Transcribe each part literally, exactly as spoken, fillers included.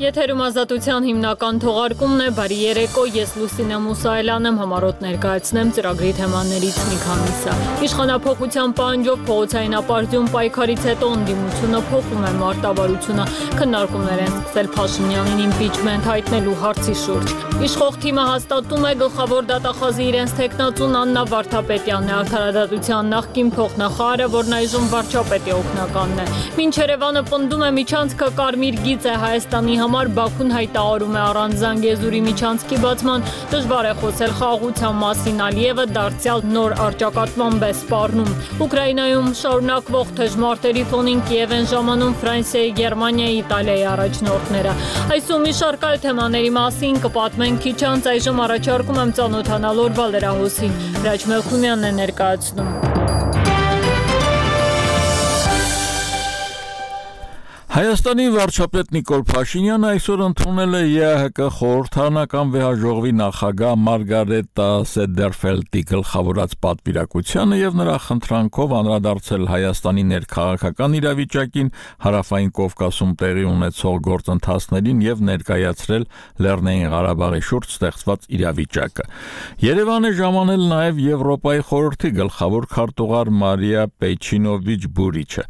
Եթերում ազատության հիմնական թողարկումն է, բարի երեկո, ես Լուսինե Մուսայելյան եմ, համառոտ ներկայացնեմ ծրագրի թեմաներից մի քանիսը։ Իշխանափոխության պահանջով փողոցային ապարդյուն պայքարից հետո ընդդիմությունը փոխում է մարտավարությունը, քննարկումներ են սկսել Փաշինյանին իմպիչմենտ հայտնելու հարցի շուրջ։ Իշխող թիմը հաստատում է գլխավոր դատախազի իրենց թեկնածուն Աննա Վարդապետյանն է, արդարադատության նախկին փոխնախարարը, որն այժմ վարչապետի օգնականն է։ Մինչ Երևանը պնդում է միջանցքը կարմիր գիծ է Հայաստանի համար, Բաքուն հայտարարում է առանց Զանգեզուրի միջանցքի բացման, դժվար է խոսել խաղաղության մասին, Ալիևը դարձյալ նոր առճակատման է սպառնում։ Ուկրաինայում շարունակվող թեժմարտերի ֆոնին Կիև են ժամանում Ֆրանսիայի, Գերմանիայի, Իտալիայի առաջնորդները։ Այսօր մի շարք այլ թեմաների մասին կպատմենք քիչ անց, այժմ առաջարկում եմ ծանոթանալ օրվա լրահոսին։ Հրաչ Մելքումյանն է ներկայացնում։ Հայաստանի վարչապետ Նիկոլ Փաշինյանը այսօր ընդունել է ԵԱՀԿ խորհրդարանական վեհաժողովի նախագահ Մարգարետա Սեդերֆելդի գլխավորած պատվիրակությանը եւ նրա խնդրանքով անդրադարձել Հայաստանի ներքաղաքական իրավիճակին, Հարավային Կովկասում տեղի ունեցող գործընթացներին եւ ներկայացրել Լեռնային Ղարաբաղի շուրջ ստեղծված իրավիճակը։ Երևան է ժամանել նաեւ Եվրոպայի խորհրդի գլխավոր քարտուղար Մարիա Պեչինովիչ Բուրիչը։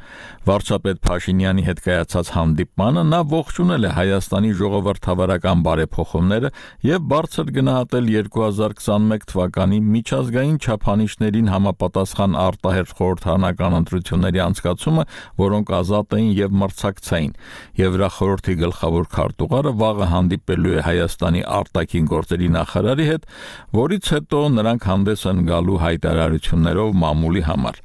Վարչապետ Փաշինյանի հետ հանդիպմանը նա ողջունել է Հայաստանի ժողովրդավարական բարեփոխումները եւ բարձր գնահատել երկու հազար քսաներկու թվականի միջազգային չափանիշներին համապատասխան արտահերթ խորհրդարանական ընտրությունների անցկացումը, որոնք ազատ էին եւ մրցակցային։ Եվրախորհրդի գլխավոր քարտուղարը վաղը հանդիպելու է Հայաստանի արտաքին գործերի նախարարի հետ, որից հետո նրանք հանդես են գալու հայտարարություններով մամուլի համար։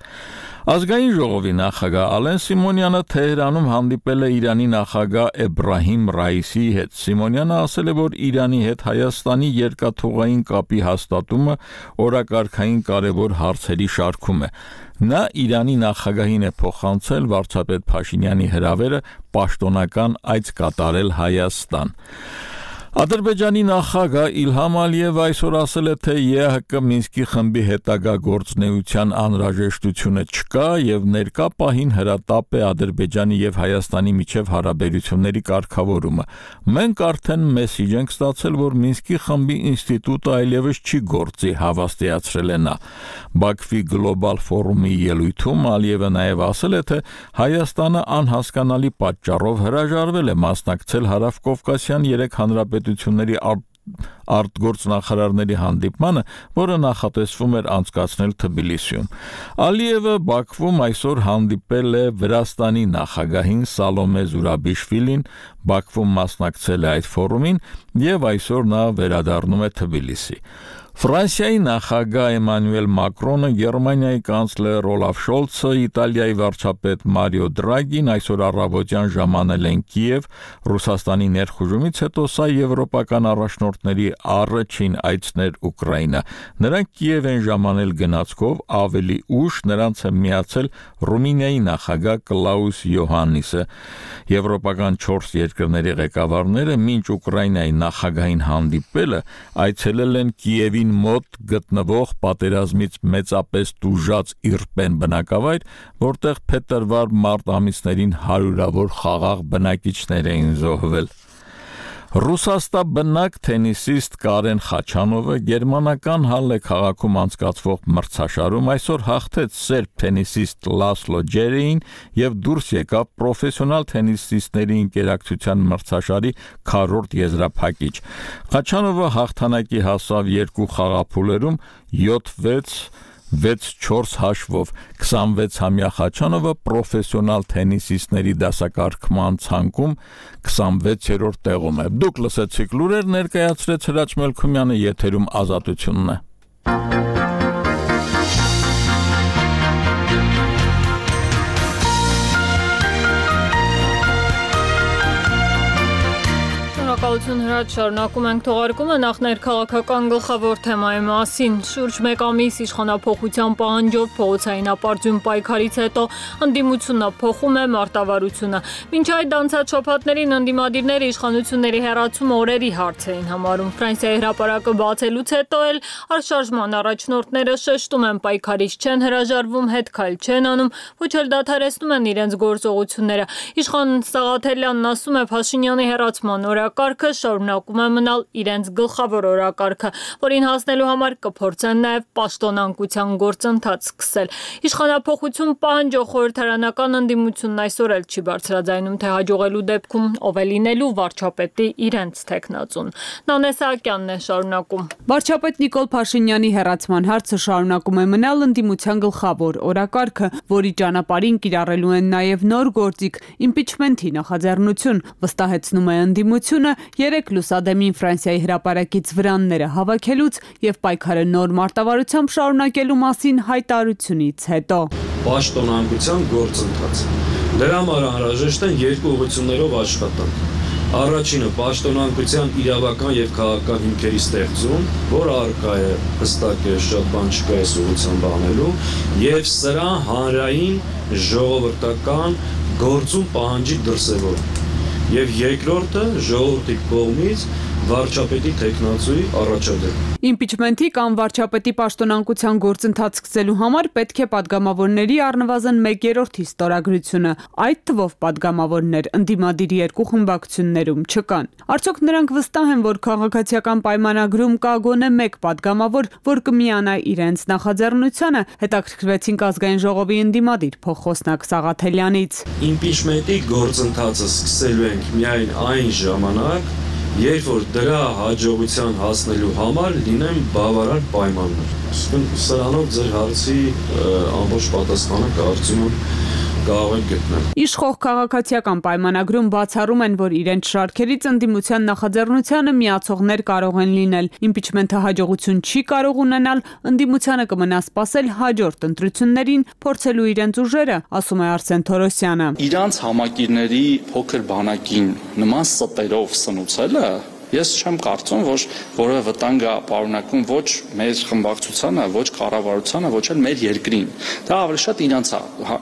Ազգային ժողովի նախագահ Ալեն Սիմոնյանը Թեհրանում հանդիպել է Իրանի նախագահ Էբրահիմ Ռայիսիի հետ։ Սիմոնյանը ասել է, որ Իրանի հետ Հայաստանի երկաթուղային կապի հաստատումը օրակարգային կարևոր հարցերի շարքում է։ Նա Իրանի նախագահին է փոխանցել վարչապետ Փաշինյանի հրավերը պաշտոնական այց կատարել Հայաստան։ Ադրբեջանի նախագահ Իլհամ Ալիևը այսօր ասել է, թե ԵԱՀԿ Մինսկի խմբի հետագա գործունեության անհրաժեշտությունը չկա եւ ներկա պահին հրատապ է Ադրբեջանի եւ Հայաստանի միջև հարաբերությունների կարգավորումը։ Մենք արդեն մեսիջ ենք ստացել, որ Մինսկի խմբի ինստիտուտը այլևս չի գործի, հավաստիացրել է նա։ Բաքվի գլոբալ ֆորումի ելույթում Ալիևը նաեւ ասել է, թե Հայաստանը անհասկանալի պատճառով հրաժարվել է մասնակցել Հարավկովկասյան երեք հանրապետությունների արտգործնախարարների հանդիպմանը, որը նախատեսվում էր անցկացնել Թբիլիսիում։ Ալիևը Բաքվում այսօր հանդիպել է Վրաստանի նախագահին Սալոմե Զուրաբիշվիլին, Բաքվում մասնակցել է այդ ֆորումին եւ այսօր նա վերադառնում է Թբիլիսի։ Ֆրանսիայի նախագահ Էմանուել Մակրոնը, Գերմանիայի կանցլեր Օլաֆ Շոլցը, Իտալիայի վարչապետ Մարիո Դրագին այսօր առավոտյան ժամանել են Կիև, Ռուսաստանի ներխուժումից հետո սա եվրոպական առաջնորդների առաջին այցն էր Ուկրաինա։ Նրանք Կիև են ժամանել գնացքով, ավելի ուշ նրանց է միացել Ռումինիայի նախագահ Կլաուս Յոհաննիսը։ Եվրոպական չորս երկրների ղեկավարները մինչ Ուկրաինայի նախագահին հանդիպելը այցելել են Կիևի մոտ գտնվող պատերազմից մեծապես տուժած Իրպեն բնակավայր, որտեղ փետրվար-մարտ ամիսներին հարյուրավոր խաղաղ բնակիչներ էին զոհվել։ Ռուսաստանբնակ թենիսիստ Կարեն Խաչանովը գերմանական Հալլե քաղաքում անցկացվող մրցաշարում այսօր հաղթեց սերբ թենիսիստ Լասլո Ջերեին եւ դուրս եկավ պրոֆեսիոնալ թենիսիստների ընկերակցության մրցաշարի քառորդ եզրափակիչ։ Խաչանովը հաղթանակի հասավ երկու խաղափուլերում յոթ վեց վեց չորս հաշվով։ քսանվեցամյա Խաչանովը պրոֆեսիոնալ թենիսիստների դասակարգման ցանկում քսանվեցերորդ տեղում է։ Դուք լսեցիք լուրեր, ներկայացրեց Հրաչ Մելքումյանը, եթերում Ազատությունն է։ Շնորհակալություն Հրաչ, շարունակում ենք թողարկումը նախ ներքաղաքական գլխավոր թեմայի մասին։ Շուրջ մեկ ամիս իշխանափոխության պահանջով փողոցային ապարդյուն պայքարից հետո ընդդիմությունը փոխում է մարտավարությունը։ Մինչ այդ անցած շաբաթներին ընդդիմադիրները իշխանությունների հեռացումը օրերի հարց էին համարում։ Ֆրանսիայի հրապարակը բացելուց հետո էլ արշարժման առաջնորդները շեշտում են պայքարից չեն հրաժարվում, հետ քայլ չեն անում, ոչ էլ դադարեցնում են իրենց գործողությունները։ Իշխան Սաղաթելյանն ասում է, Փաշինյանի հեռացման օրակարգը շարունակում է մնալ իրենց գլխավոր օրակարգը, որին հասնելու համար կփորձեն նաև պաշտոնանկության գործընթաց սկսել։ Իշխանափոխություն պահանջող խորհրդարանական ընդդիմությունն այսօր էլ չի բարձրաձայնում, թե հաջողելու դեպքում ով է լինելու վարչապետի իրենց թեկնածուն։ Նանե Սահակյանն է շարունակում։ Վարչապետ Նիկոլ Փաշինյանի հեռացման հարցը շարունակում է մնալ ընդդիմության գլխավոր օրակարգը, որի ճանապարհին կիրառելու են նաև նոր գործիք իմպիչմենթի նախաձեռնություն, վստահեցնում է ընդդիմությունը երեք լուսադեմին Ֆրանսիայի հրապարակից վրանները հավաքելուց եւ պայքարը նոր մարտավարությամբ շարունակելու մասին հայտարարությունից հետո։ Պաշտոնանկության գործընթաց։ Դրա համար անհրաժեշտ են երկու ուղղություններով աշխատանք։ Առաջինը պաշտոնանկության իրավական եւ քաղաքական հիմքերի ստեղծում, որ առկա է հստակ է շատ բան չկա այս ուղղությամբ անելու, եւ սրա հանրային ժողովրդական գործում պահանջի դրսևորում։ Եվ երկրորդը ժողովրդի կողմից վարչապետի թեկնածուի առաջադեմ։ Իմպիչմենթի կամ վարչապետի պաշտոնանկության գործընթաց սկսելու համար պետք է падգամավորների առնվազն մեկերորդի ստորագրությունը, այդ թվով падգամավորներ ընդդիմադիր երկու խմբակցություններում չկան։ Արդյոք նրանք վստահ են, որ քաղաքացիական պայմանագրում կա գոնե մեկ падգամավոր, որ կմիանա իրենց նախաձեռնությանը, հետաքրքրվեցինք ազգային ժողովի ընդդիմադիր փոխխոսնակ Սաղաթելյանից։ Իմպիչմենթի գործընթացը սկսելու ենք միայն այն ժամանակ, երբ որ դրա հաջողության հասնելու համար լինեն բավարար պայմաններ։ Սրանով ձեր հարցի ամբողջ պատասխանը կարծում եմ կարող եք գտնել։ Իշխող քաղաքացիական պայմանագրում բացառում են, որ իրենց շարքերից ընդդիմության նախաձեռնությանը միացողներ կարող են լինել։ Իմպիչմենթը հաջողություն չի կարող ունենալ, ընդդիմությանը կմնա սպասել հաջորդ ընտրություններին, փորձելու իրենց ուժերը, ասում է Արսեն Թորոսյանը։ Իրանց համակիրների փոքր բանակին նման ստերով սնուցելը Ես չեմ կարծում, որ որևէ վտանգ է պարունակում ոչ մեր խմբակցությանը, ոչ կառավարությանը, ոչ էլ մեր երկրին։ Դա ավելի շատ իրանց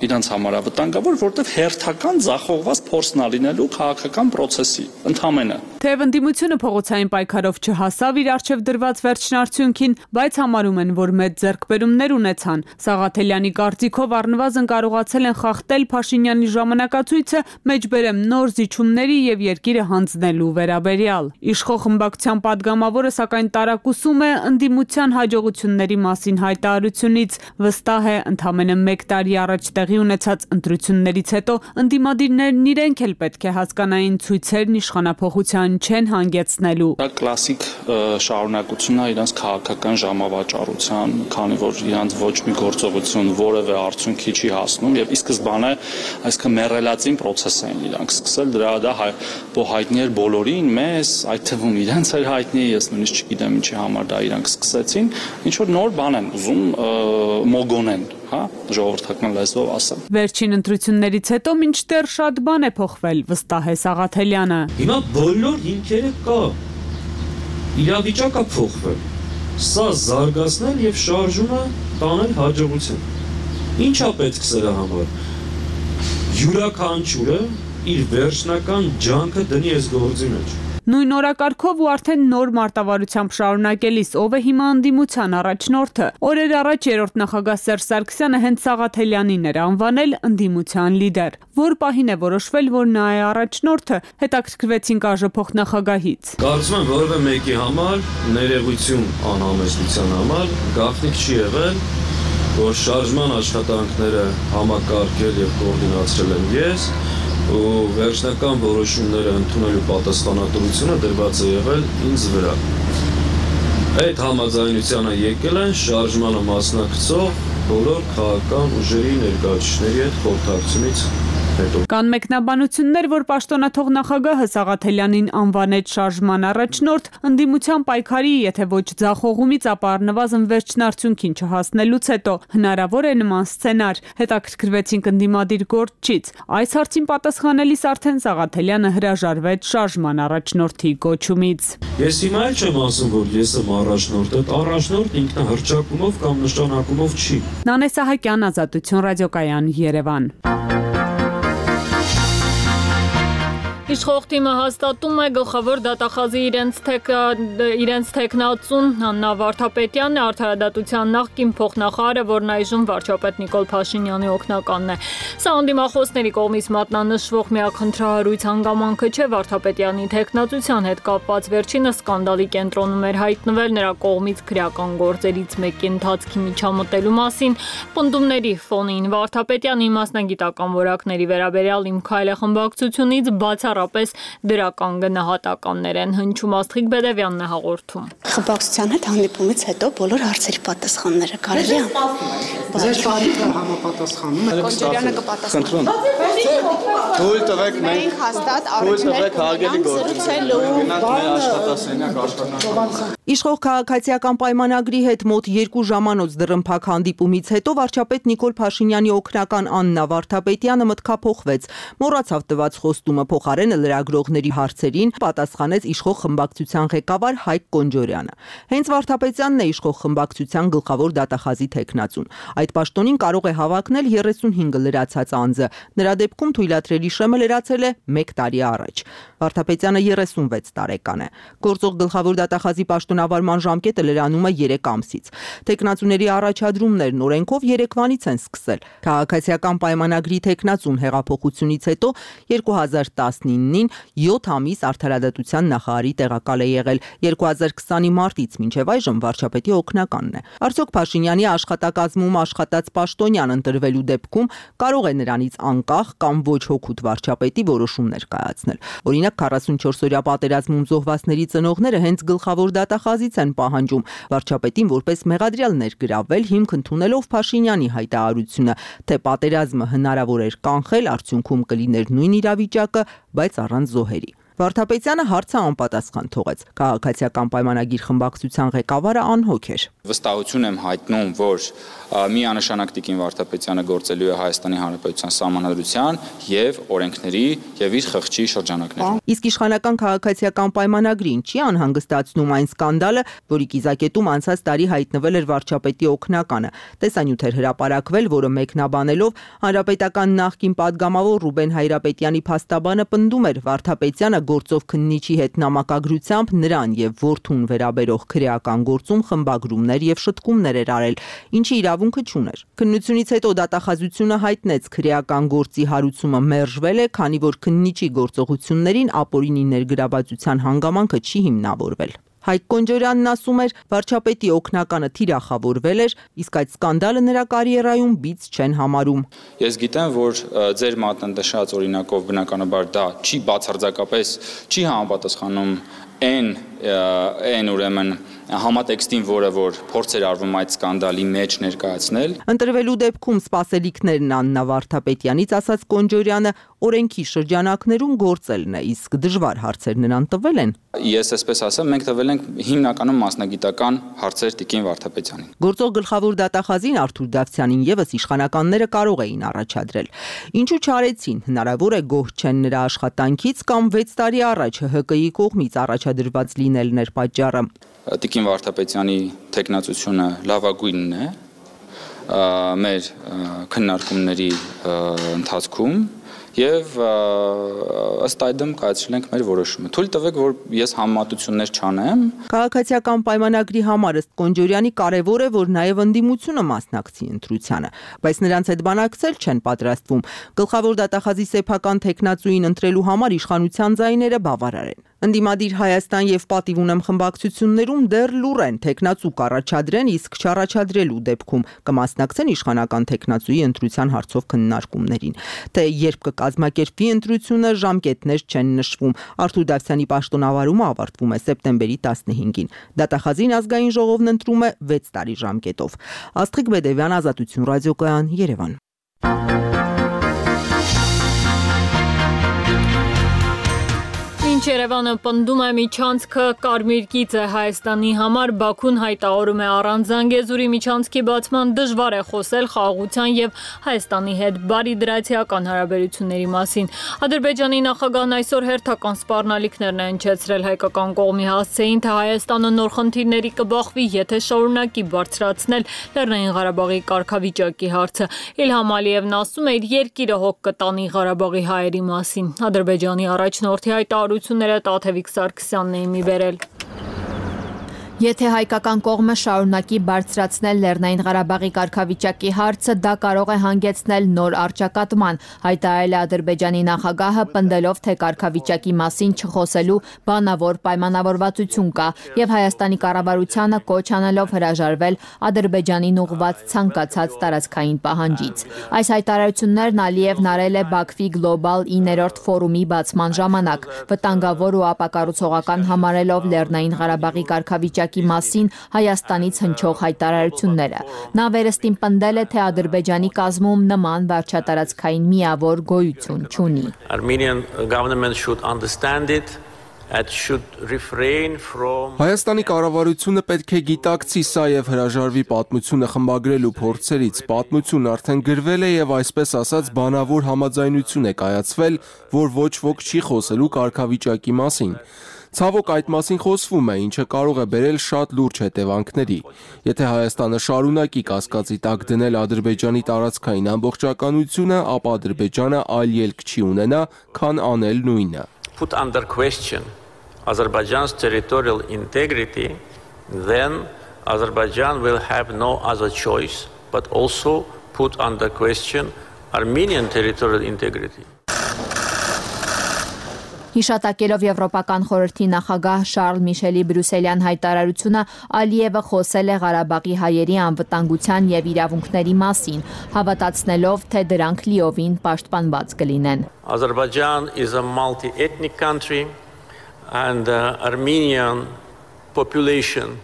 իրանց համար է վտանգավոր, որտեղ հերթական ձախողված փորձն է լինելու քաղաքական process-ի ընդհանրապես։ Թեև ընդդիմությունը փողոցային պայքարով չհասավ իր արչև դրված վերջնարդյունքին, բայց համարում են, որ մեծ ձեռքբերումներ ունեցան։ Սաղաթելյանի կարծիքով առնվազն կարողացել են խախտել Փաշինյանի ժամանակացույցը, մեջբերեմ նոր զիջումների եւ երկիրը հանձնելու վերաբերյալ։ Իշխող խմբակցության падգամավորը սակայն տարակուսում է ընդդիմության հաջողությունների մասին հայտարարությունից, վստահ է ընդամենը մեկ տարի առաջ տեղի ունեցած ընտրություններից հետո ընդդիմադիրներն իրենք էլ պետք է հասկանային ցույցերն իշխանափոխության չեն հանգեցնելու։ Դա կլասիկ շարունակությունն է իրանց քաղաքական ժամավաճառության, քանի որ իրանց ոչ մի գործողություն որևէ արդյունքի չի հասնում եւ ի սկզբանե այսքան մեռելացին process են իրանք սկսել, դրա դա հայտնի էր բոլորին, մեզ այդ թվում իրենց էր հայտնի, ես նույնիսկ չգիտեմ ինչի համար դա իրանք սկսեցին, ինչ որ նոր բան են ուզում մոգոնեն, հա, ժողովրդական լեզվով ասեմ։ Վերջին ընտրություններից հետո մինչդեռ շատ բան է փոխվել, վստահ է Սաղաթելյանը։ Հիմա բոլոր հիմքերը կա։ Իրավիճակը փոխվել։ Սա զարգացնել եւ շարժումը տանել հաջողության։ Ինչա պետք սրա համար։ Յուրաքանչյուրը իր վերջնական ջանքը դնի այս գործի մեջ։ Նույն օրակարգով ու արդեն նոր մարտավարությամբ շարունակելիս ով է հիմա ընդդիմության առաջնորդը։ Օրեր առաջ երրորդ նախագահ Սերժ Սարգսյանը հենց Սաղաթելյանին էր անվանել ընդդիմության լիդեր։ Որ պահին է որոշվել, որ նա է առաջնորդը, հետաքրքրվեցինք ԱԺ փոխնախագահից։ Կարծում եմ որևէ մեկի համար ներեգություն անհամեստության համար գաղտնիք չի եղել, որ շարժման աշխատանքները համակարգել եւ կոորդինացրել եմ ես, ու վերջնական որոշումները ընդունելու պատասխանատվությունը դրված է եղել ինձ վրա։ Այդ համաձայնությանը եկել են շարժմանը մասնակցող բոլոր քաղաքական ուժերի ներկայացուցիչների հետ խորհրդակցությունից հետո։ Կան մեկնաբանություններ, որ պաշտոնաթող նախագահը Սաղաթելյանին անվանեց շարժման առաջնորդ, ընդդիմության պայքարի, եթե ոչ ձախողումից, ապա առնվազն վերջնարդյունքին չհասնելուց հետո հնարավոր է նման սցենար։ Հետաքրքրվեցինք ընդդիմադիր գործչից։ Այս հարցին պատասխանելիս արդեն Սաղաթելյանը հրաժարվեց շարժման առաջնորդի կոչումից։ Ես հիմա էլ չեմ ասում, որ ես եմ առաջնորդը, առաջնորդ ինքնահռչակումով կամ նշանակումով չի։ Նանե Սահակյան, Ազատություն ռադիոկայան, Երևան։ Իշխող թիմը հաստատում է գլխավոր դատախազի իրենց, թեք, իրենց թեկնածուն Աննա Վարդապետյանն է, արդարադատության նախկին փոխնախարարը, որն այժմ վարչապետ Նիկոլ Փաշինյանի օգնականն է։ Սա անդիմախոսների կողմից մատնանշվող միակ խնդրահարույց հանգամանքը չէ Վարդապետյանի թեկնածության հետ կապված վերջինը սկանդալի կենտրոնում էր հայտնվել նրա կողմից քրեական գործերից մեկի ընթացքի միջամտելու մասին։ Պնդումների ֆոնին Վարդապետյանի մասնագիտական որակների վերաբերյալ Իմ քայլը խմբակցությունից բացառապես դրական գնահատականներ են հնչում։ Աստղիկ Բեդևյանն է հաղորդում։ Խմբակցության հետ հանդիպումից հետո բոլոր հարցերի պատասխանները կարելի է։ Ձեր շարքը համապատասխանում է։ Կոնջերյանը կպատասխանի։ Թույլ տվեք մենք հաստատ առաջներ զրուցելու աշխատասենյակ աշխատանք։ Իշխող քաղաքացիական պայմանագրի հետ մոտ երկու ժամանոց դռնփակ հանդիպումից հետո վարչապետ Նիկոլ Փաշինյանի օգնական Աննա Վարդապետյանը մտքափոխվեց։ Մոռացավ տված խոստումը, փոխարենը լրագրողների հարցերին պատասխանեց իշխող խմբակցության ղեկավար Հայկ Կոնջորյանը։ Հենց Վարդապետյանն է իշխող խմբակցության գլխավոր դատախազի թեկնածուն։ Այդ պաշտոնին կարող է հավակնել երեսունհինգը լրացած անձը։ Նրա դեպքում թույլատրելի շեմը լրացել է մեկ տարի առաջ։ Վարդապետյանը երեսունվեց տարեկան է։ Գործող գլխավոր դատախազի պաշտոնավարման ժամկետը լրանում է երեք ամսից։ Թեկնածուների առաջադրումներն օրենքով երեկվանից են սկսել։ Քաղաքացիական պայմանագրի թեկնածուն հեղափոխությունից հետո երկու հազար տասնինին յոթ ամիս արդարադատության նախարարի տեղակալ է եղել, երկու հազար քսանի մարտից մինչև այժմ վարչապետի օգնականն է։ Արդյոք Փաշինյանի աշխատակազմում աշխատած պաշտոնյան ընտրվելու դեպքում կարող է նրանից անկախ կամ ոչ հոգուտ վարչապետի որոշումներ կայացնել։ Օրինակ քառասունչորս օրյա պատերազմում զոհվածների ծնողները հենց գլխավոր դատախազից են պահանջում վարչապետին որպես մեղադրյալ ներգրավել, հիմք ընդունելով Փաշինյանի հայտարարությունը, թե պատերազմը հնարավոր էր կանխել, արդյունքում կլիներ նույն իրավիճակը, բայց առանց զոհերի։ Վարդապետյանը հարցը անպատասխան թողեց։ Քաղաքացիական պայմանագիր խմբակցության ղեկավարը անհոգ էր։ Վստահություն եմ հայտնում, որ միանշանակ Տիկին Վարդապետյանը գործելու է Հայաստանի Հանրապետության Սահմանադրության եւ օրենքների եւ իր խղճի շրջանակներում։ Իսկ իշխանական քաղաքացիական պայմանագրին չի անհանգստացնում այն սկանդալը, որի կիզակետում անցած տարի հայտնվել էր վարչապետի օգնականը։ Տեսանյութ էր հրապարակվել, որը մեկնաբանելով հանրապետական նախկին падգամավոր Ռուբեն Հայրապետյանի փաստաբանը պնդում էր Վարդապետյանը գործով քննիչի հետ նամակագրությամբ նրան եւ որդուն վերաբերող քրեական գործում խմբագրումներ եւ շտկումներ էր արել, ինչի իրավունքը չուներ։ Քննությունից հետո դատախազությունը հայտնեց քրեական գործի հարուցումը մերժվել է, քանի որ քննիչի գործողություններին ապօրինի ներգրավվածության հանգամանքը չի հիմնավորվել։ Հայկ Կոնջորյանն ասում էր, վարչապետի օգնականը թիրախավորվել էր, իսկ այդ սկանդալը նրա կարիերայում բիծ չեն համարում։ Ես գիտեմ, որ ձեր մատնանշած օրինակով բնականաբար դա չի բացարձակապես չի համապատասխանում այն այն ուրեմն համատեքստին, որը որ փորձ էր արվում այդ սկանդալի մեջ ներկայացնել։ Ընտրվելու դեպքում սպասելիքներն Աննա Վարդապետյանից ասաց Կոնջորյանը օրենքի շրջանակներում գործելն է, իսկ դժվար հարցեր նրան տվել են։ Ես այսպես ասեմ, մենք տվել ենք հիմնականում մասնագիտական հարցեր Տիկին Վարդապետյանին։ Գործող գլխավոր դատախազին Արթուր Դավթյանին եւս իշխանականները կարող էին առաջադրել։ Ինչու չարեցին, հնարավոր է գոհ չեն նրա աշխատանքից կամ վեց տարի առաջ Հ Հ Կ-ի կողմից առաջադրված լինելն էր պատճառը։ Տիկին Վարդապետյանի թեկնածությունը լավագույնն է մեր քննարկումների ընթացքում եւ ըստ այդմ կայացրել ենք մեր որոշումը։ Թույլ տվեք, որ ես համեմատություններ չանեմ։ Քաղաքացիական պայմանագրի համար ըստ Կոնջորյանի կարևոր է, որ նաեւ ընդդիմությունը մասնակցի ընտրությանը, բայց նրանց հետ բանակցել չեն պատրաստվում։ Գլխավոր դատախազի սեփական թեկնածուին ընտրելու համար իշխանության ձայները բավարար են։ Ընդդիմադիր Հայաստան եւ Պատիվ ունեմ խմբակցություններում դեռ լուր են թեկնածու կառաջադրեն, իսկ չառաջադրելու դեպքում կմասնակցեն իշխանական թեկնածուի ընտրության հարցով քննարկումներին։ Թե երբ կկազմակերպվի ընտրությունը, ժամկետներ չեն նշվում։ Արթուր Դավթյանի պաշտոնավարումը ավարտվում է սեպտեմբերի տասնհինգին։ Դատախազին ազգային ժողովն ընտրում է վեց տարի ժամկետով։ Աստղիկ Բեդևյան, Ազատություն ռադիոկայան, Երևան։ Մինչ Երևանը պնդում է միջանցքը կարմիր գիծ է Հայաստանի համար, Բաքուն հայտարարում է առանց Զանգեզուրի միջանցքի բացման դժվար է խոսել խաղաղության եւ Հայաստանի հետ բարիդրացիական հարաբերությունների մասին։ Ադրբեջանի նախագահն այսօր հերթական սպառնալիքներն է հնչեցրել հայկական կողմի հասցեին, թե Հայաստանը նոր խնդիրների կբախվի, եթե շարունակի բարձրացնել Լեռնային Ղարաբաղի կարգավիճակի հարցը։ Իլհամ Ալիևն ասում է, իր երկիրը հոգ կտանի Ղարաբաղի հայերի մասին։ Ադրբեջանի առաջնորդի հայտարարությունները Տաթևիկ Սարգսյանն էին մի բերել։ Եթե հայկական կողմը շարունակի բարձրացնել Լեռնային Ղարաբաղի կարգավիճակի հարցը, դա կարող է հանգեցնել նոր առճակատման, հայտարարել է Ադրբեջանի նախագահը, պնդելով, թե կարգավիճակի մասին չխոսելու բանավոր պայմանավորվածություն կա եւ Հայաստանի կառավարությանը կոչ անելով հրաժարվել Ադրբեջանին ուղղված ցանկացած տարածքային պահանջից։ Այս հայտարարություններն Ալիևն արել է Բաքվի գլոբալ իններորդ ֆորումի բացման ժամանակ, վտանգավոր ու ապակառուցողական համարելով Լեռնային Ղարաբաղի կարգավիճակի մասին Հայաստանից հնչող հայտարարությունները։ Նա վերստին պնդել է, թե Ադրբեջանի կազմում նման վարչատարածքային միավոր գոյություն չունի։ Armenian government should understand it. Հայաստանի կառավարությունը պետք է գիտակցի սա եւ հրաժարվի պատմությունը խմբագրելու փորձերից։ Պատմությունն արդեն գրվել է եւ այսպես ասած բանավոր համաձայնություն է կայացվել, որ ոչ ոք չի խոսելու կարգավիճակի մասին։ Ցավոք այդ մասին խոսվում է, ինչը կարող է բերել շատ լուրջ հետևանքների։ Եթե Հայաստանը շարունակի կասկածի տակ դնել Ադրբեջանի տարածքային ամբողջականությունը, ապա Ադրբեջանը այլ ելք չի ունենա, քան անել նույնը։ Put under question Azerbaijan's territorial integrity, then Azerbaijan will have no other choice but also put under question Armenian territorial integrity. Հիշատակելով Եվրոպական խորհրդի նախագահ Շարլ Միշելի բրյուսելյան հայտարարությունը, Ալիևը խոսել է Ղարաբաղի հայերի անվտանգության եւ իրավունքների մասին, հավատացնելով, թե դրանք լիովին պաշտպանված կլինեն։ Azerbaijan is a multi-ethnic country and uh, Armenian population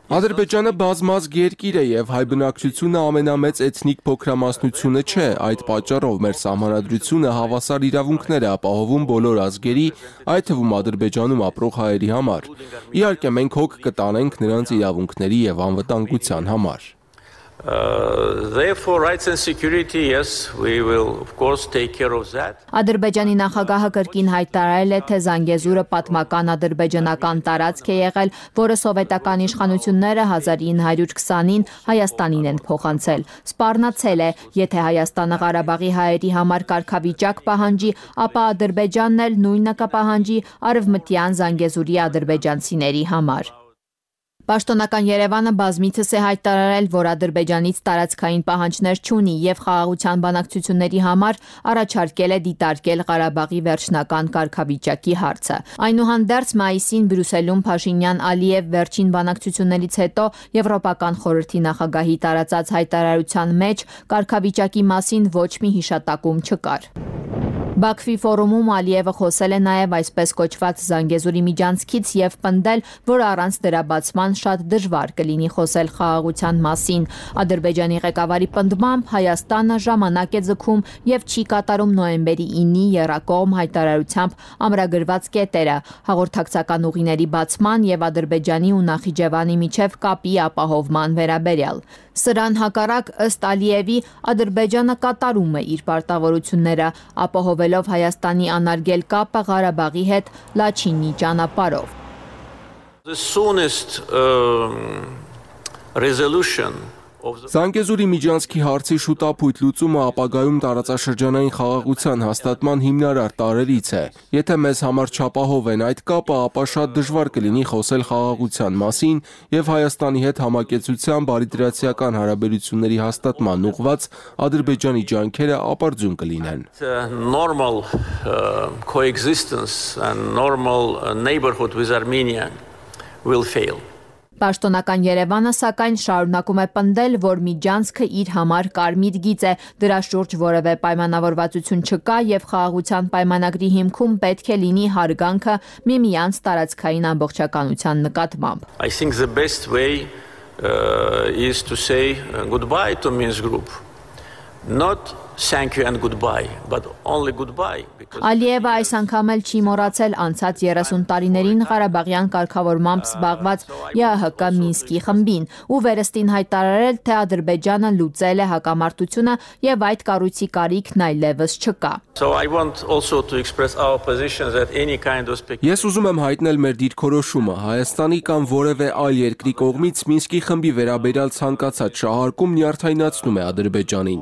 Ադրբեջանը բազմազգ երկիր է եւ հայ բնակչությունը ամենամեծ էթնիկ փոքրամասնությունը չէ, այդ պատճառով մեր սահմանադրությունը հավասար իրավունքներ է ապահովում բոլոր ազգերի, այդ թվում Ադրբեջանում ապրող հայերի համար։ Իհարկե մենք հոգ կտանենք նրանց իրավունքների եւ անվտանգության համար։ Uh, therefore, rights and security, yes, we will of course take care of that. Ադրբեջանի նախագահը կրկին հայտարարել է, թե Զանգեզուրը պատմական ադրբեջանական տարածք է եղել, որը սովետական իշխանությունները հազար ինը հարյուր քսանին Հայաստանին են փոխանցել։ Սպառնացել է, եթե Հայաստանը Ղարաբաղի հայերի համար կարգավիճակ պահանջի, ապա Ադրբեջանն էլ նույնը կպահանջի արևմտյան Զանգեզուրի ադրբեջանցիների համար։ Պաշտոնական Երևանը բազմիցս է հայտարարել, որ Ադրբեջանից տարածքային պահանջներ չունի եւ խաղաղության բանակցությունների համար առաջարկել է դիտարկել Ղարաբաղի վերջնական կարգավիճակի հարցը։ Այնուհանդերձ մայիսին Բրյուսելում Փաշինյան-Ալիև վերջին բանակցություններից հետո Եվրոպական խորհրդի նախագահի տարածած հայտարարության մեջ կարգավիճակի մասին ոչ մի հիշատակում չկար։ Բաքվի ֆորումում Ալիևը խոսել է նաև այսպես կոչված Զանգեզուրի միջանցքից եւ պնդել, որ առանց դրա բացման շատ դժվար կլինի խոսել խաղաղության մասին։ Ադրբեջանի ղեկավարի պնդմամբ Հայաստանը ժամանակ է ձգում եւ չի կատարում նոյեմբերի ինի եռակողմ հայտարարությամբ ամրագրված կետերը հաղորդակցական ուղիների բացման եւ Ադրբեջանի ու Նախիջևանի միջև կապի ապահովման վերաբերյալ։ Սրան հակառակ ըստ Ալիևի Ադրբեջանը կատարում է իր պարտավորությունները, ապահովելով Հայաստանի անարգել կապը Ղարաբաղի հետ Լաչինի ճանապարհով։ The soonest uh, resolution Զանգեզուրի միջանցքի հարցի շուտապույտ լուծումը ապագայում տարածաշրջանային խաղաղության հաստատման հիմնարար տարրերից է։ Եթե մեզ համար չապահով են այդ կապը, ապա շատ դժվար կլինի խոսել խաղաղության մասին եւ Հայաստանի հետ համակեցության բարիդրացիական հարաբերությունների հաստատման ուղղված Ադրբեջանի ջանքերը ապարդյուն կլինեն։ Normal uh, coexistence and normal uh, neighborhood with Armenia will fail. Պաշտոնական Երևանը սակայն շարունակում է պնդել, որ միջանցքը իր համար կարմիր գիծ է, դրա շուրջ որևէ պայմանավորվածություն չկա եւ խաղաղության պայմանագրի հիմքում պետք է լինի հարգանքը միմյանց տարածքային ամբողջականության նկատմամբ։ I think the best way uh, is to say goodbye to Minsk group, not thank you and goodbye, but only goodbye. Because... Ալիևը այս անգամ էլ չի մոռացել անցած երեսուն տարիներին Ղարաբաղյան կարգավորմամբ զբաղված ԵԱՀԿ Մինսկի խմբին ու վերստին հայտարարել, թե Ադրբեջանը լուծել է հակամարտությունը եւ այդ կառույցի կարիքն այլևս չկա։ So I want also to express our position that any kind of Ես ուզում եմ հայտնել մեր դիրքորոշումը Հայաստանի կամ որևէ այլ երկրի կողմից Մինսկի խմբի վերաբերյալ ցանկացած շահարկում նյարդայնացնում է Ադրբեջանին։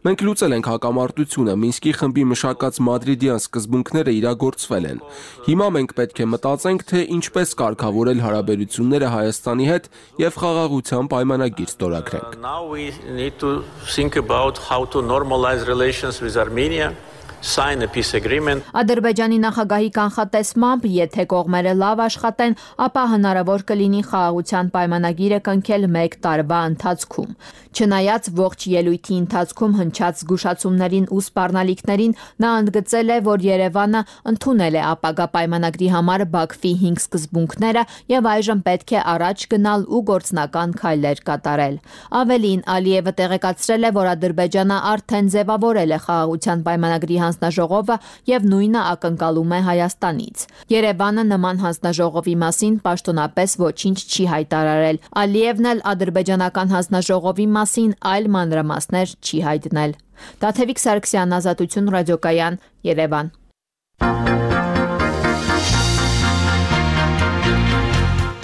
Մենք լուծել ենք հակամարտությունը, Մինսկի խմբի մշակած մադրիդյան սկզբունքները իրագործվել են։ Հիմա մենք պետք է մտածենք, թե ինչպես կարգավորել հարաբերությունները Հայաստանի հետ եւ խաղաղության պայմանագիր ստորագրենք։ Now we need to think about how to normalize relations with Armenia. Sign a peace agreement. Ադրբեջանի նախագահի կանխատեսմամբ, եթե կողմերը լավ աշխատեն, ապա հնարավոր կլինի խաղաղության պայմանագիրը կնքել մեկ տարվա ընթացքում։ Չնայած ողջ ելույթի ընթացքում հնչած զգուշացումներին ու սպառնալիքներին, նա ընդգծել է, որ Երևանը ընդունել է ապագա պայմանագրի համար Բաքվի հինգ սկզբունքները եւ այժմ պետք է առաջ գնալ ու գործնական քայլեր կատարել։ Ավելին, Ալիևը տեղեկացրել է, որ Ադրբեջանը արդեն ձևավորել է խաղաղության պայմանագրի հանձնաժողովը եւ նույնը ակնկալում է Հայաստանից։ Երևանը նման հանձնաժողովի մասին պաշտոնապես ոչինչ չի հայտարարել։ Ալիևն էլ ադրբեջանական հանձնաժողովի մասին այլ մանրամասներ չի հայտնել։ Տաթևիկ Սարգսյան, Ազատություն ռադիոկայան, Երևան։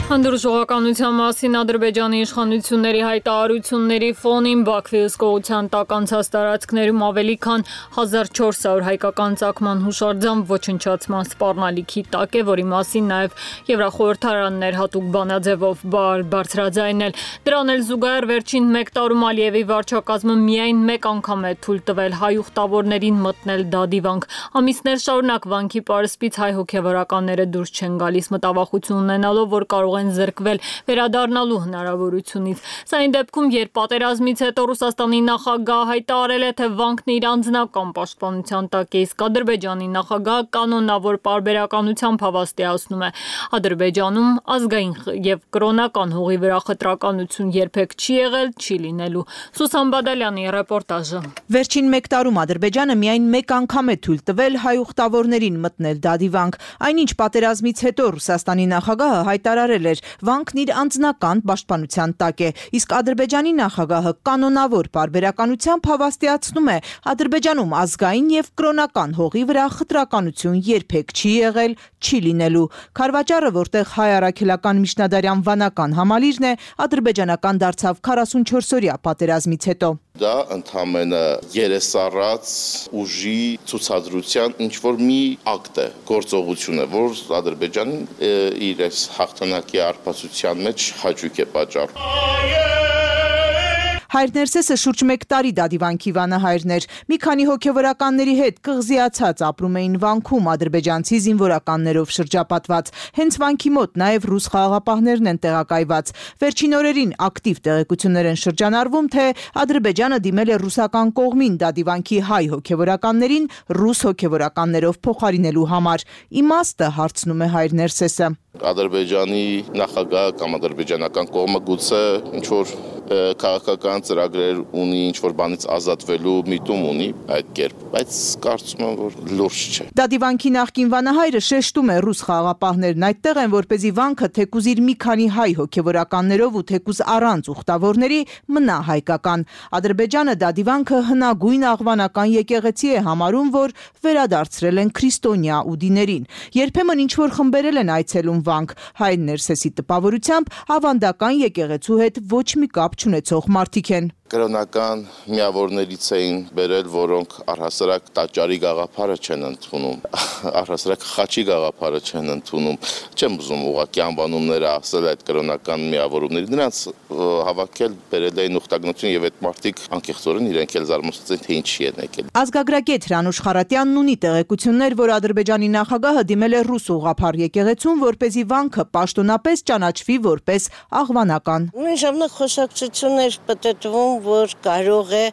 Հանդուրժողականության մասին Ադրբեջանի իշխանությունների հայտարարությունների ֆոնին Բաքվի հսկողության տակ անցած տարածքներում ավելի քան հազար չորս հարյուր հայկական ծագման հուշարձան ոչնչացման սպառնալիքի տակ է, որի մասին նաև Եվրախորհրդարաններ հատուկ բանաձևով բարձրաձայնել։ Դրան էլ զուգահեռ վերջին մեկ տարում Ալիևի վարչակազմը միայն մեկ անգամ է թույլ տվել հայ ուխտավորներին մտնել դադիվանք։ Ամիսներ շարունակ վանքի պարսպից հայ հոգևորականները դուրս չեն գալիս, մտավախություն ունենալով, որ կարող են զրկվել վերադառնալու հնարավորությունից։ Սա այն դեպքում, երբ պատերազմից հետո Ռուսաստանի նախագահը հայտարարել է, թե վանքն իր անձնական պաշտպանության տակ է, իսկ Ադրբեջանի նախագահը կանոնավոր պարբերականությամբ հավաստիացնում է։ Ադրբեջանում ազգային եւ կրոնական հողի վրա խտրականություն երբեք չի եղել, չի լինելու։ Սուսան Բադալյանի ռեպորտաժը։ Վերջին մեկ տարում Ադրբեջանը միայն մեկ անգամ է թույլ տվել հայ ուխտավորներին մտնել դադիվանք։ Այնինչ պատերազմից հետո Ռուսաստանի նախագահը հայտարարել էր, վանքն իր անձնական պաշտպանության տակ է, իսկ Ադրբեջանի նախագահը կանոնավոր պարբերականությամբ հավաստիացնում է, Ադրբեջանում ազգային եւ կրոնական հողի վրա խտրականություն երբեք չի եղել, չի լինելու։ Քարվաճառը, որտեղ հայ առաքելական միջնադարյան վանական համալիրն է, ադրբեջանական դարձավ քառասունչորս-օրյա պատերազմից հետո։ Դա ընդհանրապես երեսառած ուժի ցուցադրության ինչ որ մի ակտ է, գործողություն է, որ Ադրբեջանին իր այս հաղթանակի արփածության մեջ հաճույք է պատճառում։ Հայր Ներսեսը շուրջ մեկ տարի դադիվանքի վանահայրն էր։ Մի քանի հոգևորականների հետ կղզիացած ապրում էին վանքում ադրբեջանցի զինվորականներով շրջապատված։ Հենց վանքի մոտ նաև ռուս խաղաղապահներն են տեղակայված։ Վերջին օրերին ակտիվ տեղեկություններ են շրջանառվում, թե Ադրբեջանը դիմել է ռուսական կողմին դադիվանքի հայ հոգևորականներին ռուս հոգևորականներով փոխարինելու համար։ Իմաստը հարցնում է Հայր Ներսեսը։ Ադրբեջանի նախագահը կամ ադրբեջանական կողմը գուցե ինչ որ քաղաքական ծրագրեր ունի, ինչ որ բանից ազատվելու միտում ունի այդ կերպ, բայց կարծում եմ, որ լուրջ չէ։ Դադիվանքի նախկին վանահայրը շեշտում է ռուս խաղաղապահներն այդտեղ են, որպեսզի վանքը թեկուզ իր մի քանի հայ հոգևորականներով ու թեկուզ առանց ուխտավորների մնա հայկական։ Ադրբեջանը դադիվանքը հնագույն աղվանական եկեղեցի է համարում, որ վերադարձրել են քրիստոնյա ուդիներին։ Երբեմն ինչ որ խմբերել են այցելում վանք, Հայր Ներսեսի տպավորությամբ ավանդական եկեղեցու հետ ոչ մի կապ չունեցող մարդիկ են։ Կրոնական միավորներից էին բերել, որոնք առհասարակ տաճարի գաղափարը չեն ընդունում, առհասարակ խաչի գաղափարը չեն ընդունում։ Չեմ ուզում ուղղակի անվանումները ասել այդ կրոնական միավորումների, նրանց հավաքել բերել էին ուխտագնություն եւ այդ մարդիկ անկեղծորեն իրենք էլ զարմացած են, թե ինչի են եկել։ Ազգագրագետ Հրանուշ Խարատյանն ունի տեղեկություններ, որ Ադրբեջանի նախագահը դիմել է ռուս ուղղափառ եկեղեցուն, որպեսզի վանքը պաշտոնապես ճանաչվի որպես աղվանական։ Նույն ժամանակ խոսակցություններ պատտվում, որ կարող է